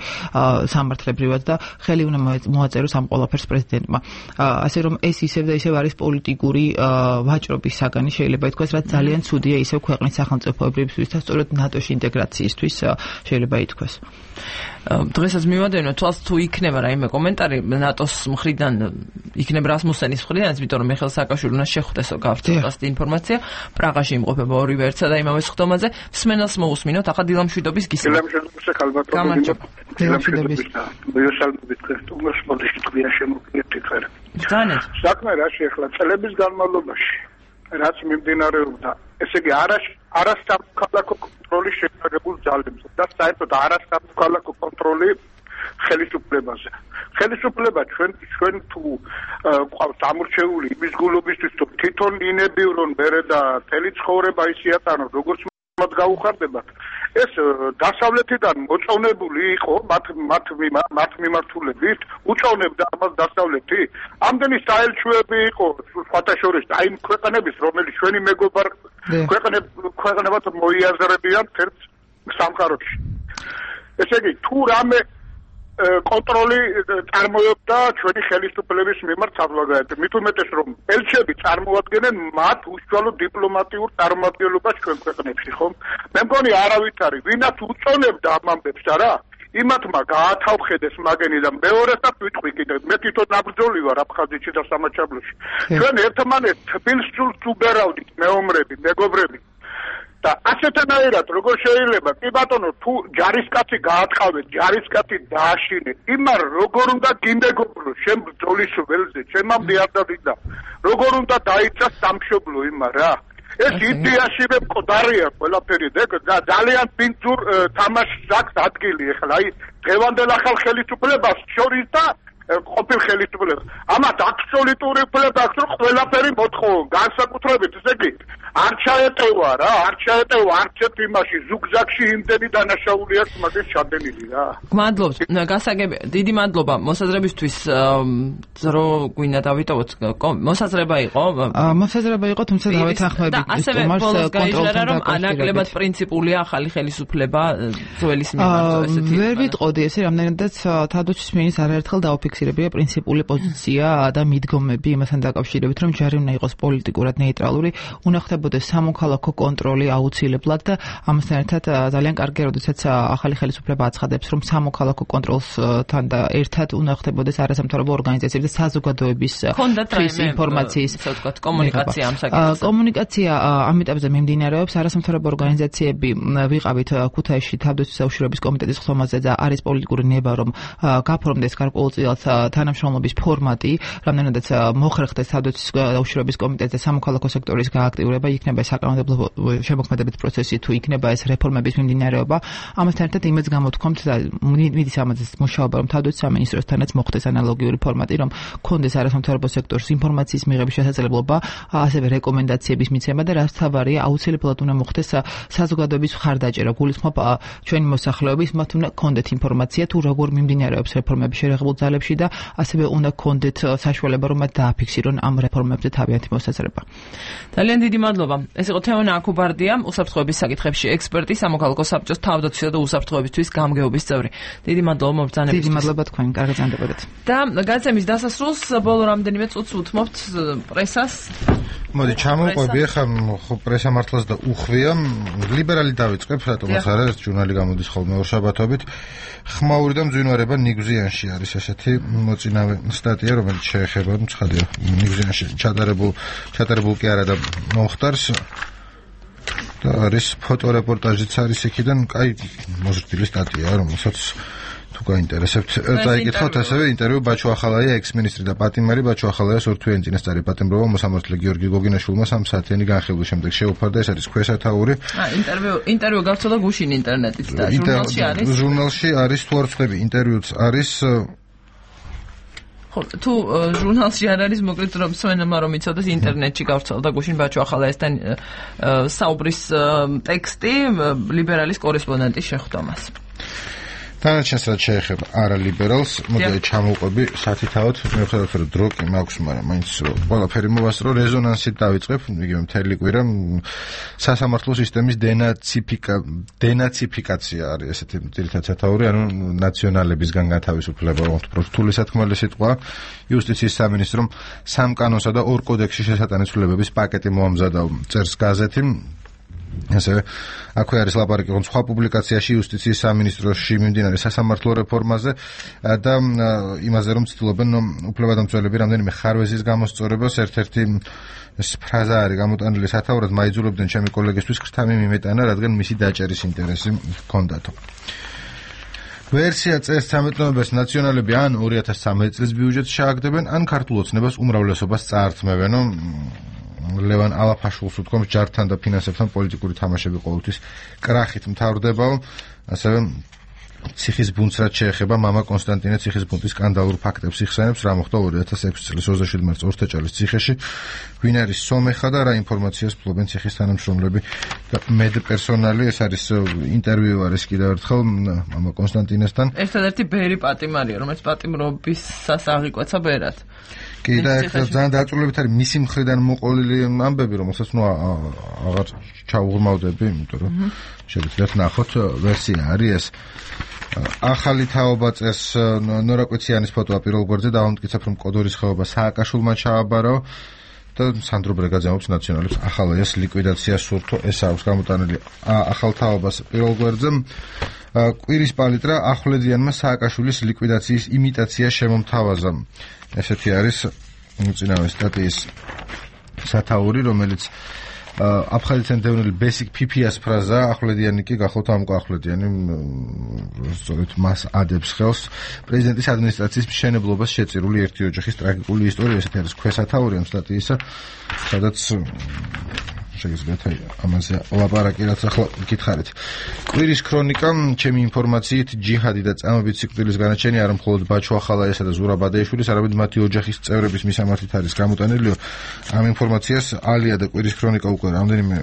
სამართლებრივად და ხელი უნდა მოაწეროს ამ ყველაფერს პრეზიდენტმა. ასე რომ ეს ისევ და ისევ არის პოლიტიკური ვაჭრობის საგანი, შეიძლება ითქვას, რაც ძალიან ცუდია ისევ ქვეყნის სახელმწიფოებრივისთვის და სწორედ ნატოში ინტეგრაციისთვის შეიძლება ითქვას. დღესაც მივადენო თვალს თუ იქნება რაიმე комментаრი ნატოს მხრიდან, იქნება რასმუსენის მხრიდან, იმიტომ რომ მიხეილ სააკაშვილი უნდა შეხვდესო გავრცელოს ინფორმაცია. პრაღაში იმყოფება ორივე ერთსა და იმავე სხდომაზე. მსმენელს მოусმინოთ, ახლა დილამშვიდობის გისმენთ. დილამშვიდობის ხალბატონო. გამარჯობა. დილამშვიდობის და მიესალმებით ქრისტეს მოდიშით გვიან შემოგვიერთეთ ხარ. ძალიან. საქმე რაში ახლა წლების განმავლობაში რაც მიმდინარეობდა, ესე იგი არას არასამოქალაქო კონტროლის შეფარებულ ძალებზე და საერთოდ არასამოქალაქო კონტროლი ხელისუფლებაზე. ხელისუფლება ჩვენ ჩვენ თუ ყავს ამორჩეული იმის გულობისთვის, თუ თვითონ ინებივრონ მერე და თელი ცხოვრება ისიატანონ, როგორც მათ გაუხარდებათ. ეს დასავლეთიდან მოწონებული იყო მათ მათ მათ მიმართულებით, უწონებდა ამას დასავლეთი. ამდენი საელჩოები იყო სხვათა შორის აი ქვეყნების, რომელიც ჩვენი მეგობარ ქვეყნებად მოიაზრებიან ერთ სამყაროში. ესე იგი, თუ რამე კონტროლი წარმოებდა ჩვენი ხელისუფლების მიმართ საზოგადოებაზე. მით უმეტეს რომ ელჩები წარმოადგენენ მათ უშუალო დიპლომატიურ წარმომადგენლობას ჩვენ ქვეყნებში, ხომ? მე მგონი არავით არის, ვინაც უწონებდა ამ ამბებს, არა? იმათმა გაათავხედეს მაგენი და მეორესაც ვიტყვი კიდევ, მე თვითონ ნაბრძოლი ვარ აფხაზეთში და სამაჩაბლოში. ჩვენ ერთმანეთს თბილისს უბერავდით მეომრები, მეგობრები. და ასეთანაირად როგორ შეიძლება კი ბატონო თუ ჯარისკაცი გაატყავეთ, ჯარისკაცი დააშინეთ, იმარ როგორ უნდა გიმეგობროს შენ ბრძოლის ველზე, ჩემამდე არ დავიდა. როგორ უნდა დაიცას სამშობლო იმარ რა. ეს იდეაშივე მკვდარია ყველაფერი და ძალიან პინწურ თამაშს აქვს ადგილი ახლა აი დღევანდელ ახალ ხელისუფლებას შორის და ყოფილ ხელისუფლებას. ამათ აბსოლუტური უფლება აქვს რომ ყველაფერი მოთხოვონ, განსაკუთრებით ესე იგი არ ჩაეტევა რა, არ ჩაეტევა არცერთ იმაში, ზუგზაგში იმდენი დანაშაული აქვს მაგის ჩადენილი რა. გმადლობთ, გასაგები, დიდი მადლობა მოსაზრებისთვის, რო გვინდა დავიტოვოთ, მოსაზრება იყო? მოსაზრება იყო, თუმცა დავეთანხმებით და ასევე ბოლოს გაიჟღერა, რომ ანაკლებად პრინციპულია ახალი ხელისუფლება ძველის მიმართ, ესეთი. ვერ ვიტყოდი ესე, რამდენადაც თავდაცვის მინისტრს არაერთხელ დაუფიქსირებია პრინციპული პოზიცია და მიდგომები იმასთან დაკავშირებით, რომ ჯარი უნდა იყოს პოლიტიკურად ნეიტრალური, უნდა ხდება მოხდებოდეს სამოქალაქო კონტროლი აუცილებლად და ამასთან ერთად ძალიან კარგია, როდესაც ახალი ხელისუფლება აცხადებს, რომ სამოქალაქო კონტროლთან და ერთად უნდა ხდებოდეს არასამთავრობო ორგანიზაციების და საზოგადოების ინფორმაციის კომუნიკაცია ამ საკითხზე. კომუნიკაცია ამ ეტაპზე მიმდინარეობს. არასამთავრობო ორგანიზაციები ვიყავით ქუთაისში თავდაცვის საუშიშროების კომიტეტის ხსომაზე და არის პოლიტიკური ნება, რომ გაფორმდეს გარკვეულწილად თანამშრომლობის ფორმატი, რამდენადაც მოხერხდეს თავდაცვის საუშიშროების კომიტეტზე სამოქალაქო სექტორის გააქტიურება, იქნება ეს საკანონმდებლო შემოქმედებით პროცესი თუ იქნება ეს რეფორმების მიმდინარეობა. ამასთან ერთად იმედს გამოთქვამთ და მიდის ამაზე მუშაობა, რომ თავდაცვის სამინისტროსთანაც მოხდეს ანალოგიური ფორმატი, რომ კონდეს არასამთავრობო სექტორის ინფორმაციის მიღების შესაძლებლობა, ასევე რეკომენდაციების მიცემა და რაც თავარია, აუცილებლად უნდა მოხდეს საზოგადოების მხარდაჭერა. გულისხმობ ჩვენი მოსახლეობის მათ უნდა კონდეთ ინფორმაცია თუ როგორ მიმდინარეობს რეფორმები შერეღებულ ძალებში და ასევე უნდა კონდეთ საშუალება, რომ მათ დააფიქსირონ ამ რეფორმებზე თავიანთი მოსაზრება. ძალიან დიდი მადლობა. ეს იყო თეონა აკუბარდია, უსაფრთხოების საკითხებში ექსპერტი, სამოქალაქო საბჭოს თავდაცვისა და უსაფრთხოებისთვის გამგეობის წევრი. დიდი მადლობა მობრძანებისთვის. დიდი მადლობა თქვენ, კარგი წამდებოდეთ. და გადაცემის დასასრულს ბოლო რამდენიმე წუთს უთმობთ პრესას. მოდი ჩამოვყვები ახლა პრესა მართლაც და უხვია. ლიბერალი დავიწყებ, რატომაც არა, ეს ჟურნალი გამოდის ხოლმე ორშაბათობით. ხმაური და მძვინვარება ნიგზიანში არის ესეთი მოწინავე სტატია, რომელიც შეეხება ცხადია ნიგზიანში ჩატარებულ ჩატარებულ კი არა და მომხდარს და არის ფოტორეპორტაჟიც არის იქიდან, კაი მოზრდილი სტატია, რომელსაც თუ გაინტერესებთ, დაიკითხოთ ასევე ინტერვიუ ბაჩო ახალაია ექს-მინისტრი და პატიმარი ბაჩო ახალაიას ორთვიანი წინასწარი პატიმრობა მოსამართლე გიორგი გოგინაშვილმა სამ საათიანი განხილვის შემდეგ შეუფარდა. ეს არის ქვესათაური. ა ინტერვიუ ინტერვიუ გავცოდა გუშინ ინტერნეტით და ჟურნალში არის. ჟურნალში არის თუ არ ვწდები, ინტერვიუც არის. ხო, თუ ჟურნალში არ არის, მოკლედ რომ სვენმა რომ იცოდეს, ინტერნეტში გავრცელდა გუშინ ბაჩო ახალაიასთან საუბრის ტექსტი ლიბერალის კორესპონდენტის შეხვდომას. დანარჩენს რაც შეეხება არალიბერალს, მოდი ჩამოვყვები სათითაოდ, მიუხედავად რომ დრო კი მაქვს, მაგრამ მაინც ყველაფერი მოვასწრო, რეზონანსით დავიწყებ, იგივე მთელი კვირა სასამართლო სისტემის დენაციფიკა დენაციფიკაცია არის ესეთი ძირითადად სათაური, ანუ ნაციონალებისგან გათავისუფლება, უფრო რთული სათქმელი სიტყვა. იუსტიციის სამინისტრომ სამ კანონსა და ორ კოდექსში შესატანისუფლებების პაკეტი მოამზადა, წერს გაზეთი. ასევე აქვე არის ლაპარაკი რომ სხვა პუბლიკაციაში იუსტიციის სამინისტროში მიმდინარე სასამართლო რეფორმაზე და იმაზე რომ ცდილობენ უფლებადამცველები რამდენიმე ხარვეზის გამოსწორებას. ერთ-ერთი ეს ფრაზა არის გამოტანილი სათაურად, მაიძულებდნენ ჩემი კოლეგისთვის ხრთამი მიმეტანა, რადგან მისი დაჭერის ინტერესი ჰქონდათო. ვერსია წელს ცამეტ ნოემბერს ნაციონალები ან ორი ათას ცხრამეტ წლის ბიუჯეტს შეაგდებენ, ან ქართულ ოცნებას უმრავლესობას წაართმევენ. ლევან ალაფაშულს უთქვამს, ჯართან და ფინანსებთან პოლიტიკური თამაშები ყოველთვის კრახით მთავრდებაო. ასევე ციხის ბუნდს რაც შეეხება, მამა კონსტანტინე ციხის ბუნდის სკანდალურ ფაქტებს იხსენებს, რა მოხდა ორი ათას ექვსი წლის ოცდაშვიდი მარტს ორთაჭალის ციხეში, ვინ არის სომეხა და რა ინფორმაციას ფლობენ ციხის თანამშრომლები და მედპერსონალი. ეს არის ინტერვიუ არის კიდევ ერთხელ მამა კონსტანტინესთან. ერთადერთი ბერი პატიმარია, რომელიც პატიმრობისას აღიკვეცა ბერად. კი და ახლა ძალიან დაწურლებით არის მისი მხრიდან მოყოლილი ამბები, რომელსაც ნუ აღარ ჩაუღრმავდები, იმიტომ რომ შეგიძლიათ ნახოთ ვერსია არის ეს. ახალი თაობა წერს ნორა კვიციანის ფოტოა პირველ გვერდზე, დავამტკიცებ რომ კოდორის ხეობა სააკაშვილმა ჩააბარო და სანდრო ბრეგაძე ამბობს ნაციონალებს ახალაიას ლიკვიდაცია სურთო. ეს აქვს გამოტანილი ახალ თაობას პირველ გვერდზე. კვირის პალიტრა ახვლედიანმა სააკაშვილის ლიკვიდაციის იმიტაცია შემომთავაზა. ესეთი არის უწინავე სტატიის სათაური, რომელიც აფხაზეთიდან დევნილი ბესიკ ფიფიას ფრაზა, ახვლედიანი კი გახოთ ამკო ახვლედიანი, სწორედ მას ადებს ხელს პრეზიდენტის ადმინისტრაციის მშენებლობას შეწირული ერთი ოჯახის ტრაგიკული ისტორია. ესეთი არის ქვესათაური ამ სტატიისა, სადაც შეგიძლიათ ამაზე ლაპარაკი, რაც ახლა გითხარით. კვირის ქრონიკა, ჩემი ინფორმაციით, ჯიჰადი და წამებით სიკვდილის განაჩენი არა მხოლოდ ბაჩო ახალაიასა და ზურაბ ადეიშვილის, არამედ მათი ოჯახის წევრების მისამართით არის გამოტანილი. ამ ინფორმაციას ალია და კვირის ქრონიკა უკვე რამდენიმე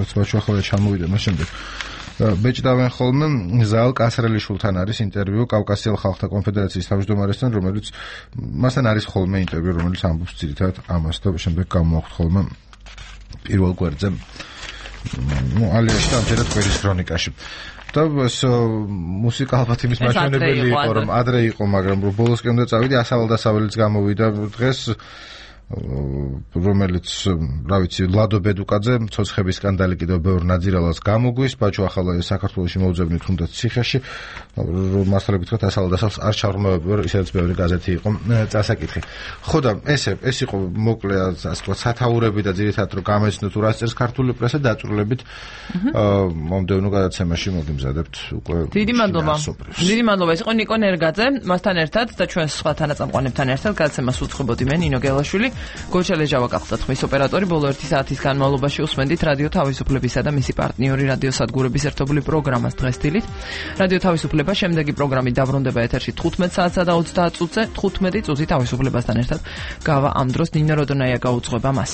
რაც ბაჩო ახალაია ჩამოვიდა მას შემდეგ ბეჭდავენ ხოლმე. ზაალ კასრელიშვილთან არის ინტერვიუ, კავკასიელ ხალხთა კონფედერაციის თავმჯდომარესთან, რომელიც მასთან არის ხოლმე ინტერვიუ, რომელიც ამბობს ძირითადად ამას და შემდეგ გამოაქვთ ხოლმე პირველ გვერდზე. ნუ ალიაში და ამჯერად კვირის ქრონიკაში. და ეს მუსიკა ალბათ იმის მაჩვენებელი იყო, რომ ადრე იყო, მაგრამ რომ ბოლოსკენ უნდა წავიდი, ასავალ დასავალიც გამოვიდა დღეს. რომელიც რა ვიცი ლადო ბედუკაძე ცოცხების სკანდალი კიდევ ბევრ ნაძირალას გამოგვის ბაჭო ახლა საქართველოში მოუძებნით თუნდაც ციხეში მასალები თქვა ასალდასალს არ ჩაღრმავებია ისედაც ბევრი გაზეთი იყო წასაკითხი ხო და ესე ეს იყო მოკლე ასე ვთქვათ სათაურები და ძირითადად რომ გამეცნოთ თუ რა წერს ქართული პრესა დაწვრილებით მომდევნო გადაცემაში მოგიმზადებთ უკვე დიდი მადლობა დიდი მადლობა ეს იყო ნიკო ნერგაძე მასთან ერთად და ჩვენ სხვა თანაწამყვანებთან ერთად გადაცემას უწყობოდი მე ნინო გელაშვილი გოჩა ლეჟავა გახდათ ხმის ოპერატორი ბოლო ერთი საათის განმავლობაში უსმენდით რადიო თავისუფლებისა და მისი პარტნიორი რადიო სადგურების ერთობლივ პროგრამას დღესდილით რადიო თავისუფლება შემდეგი პროგრამით დაბრუნდება ეთერში თხუთმეტ საათსა და ოცდაათ წუთზე თხუთმეტი წუთი თავისუფლებასთან ერთად გავა ამ დროს ნინო როდონაია გაუძღვება მას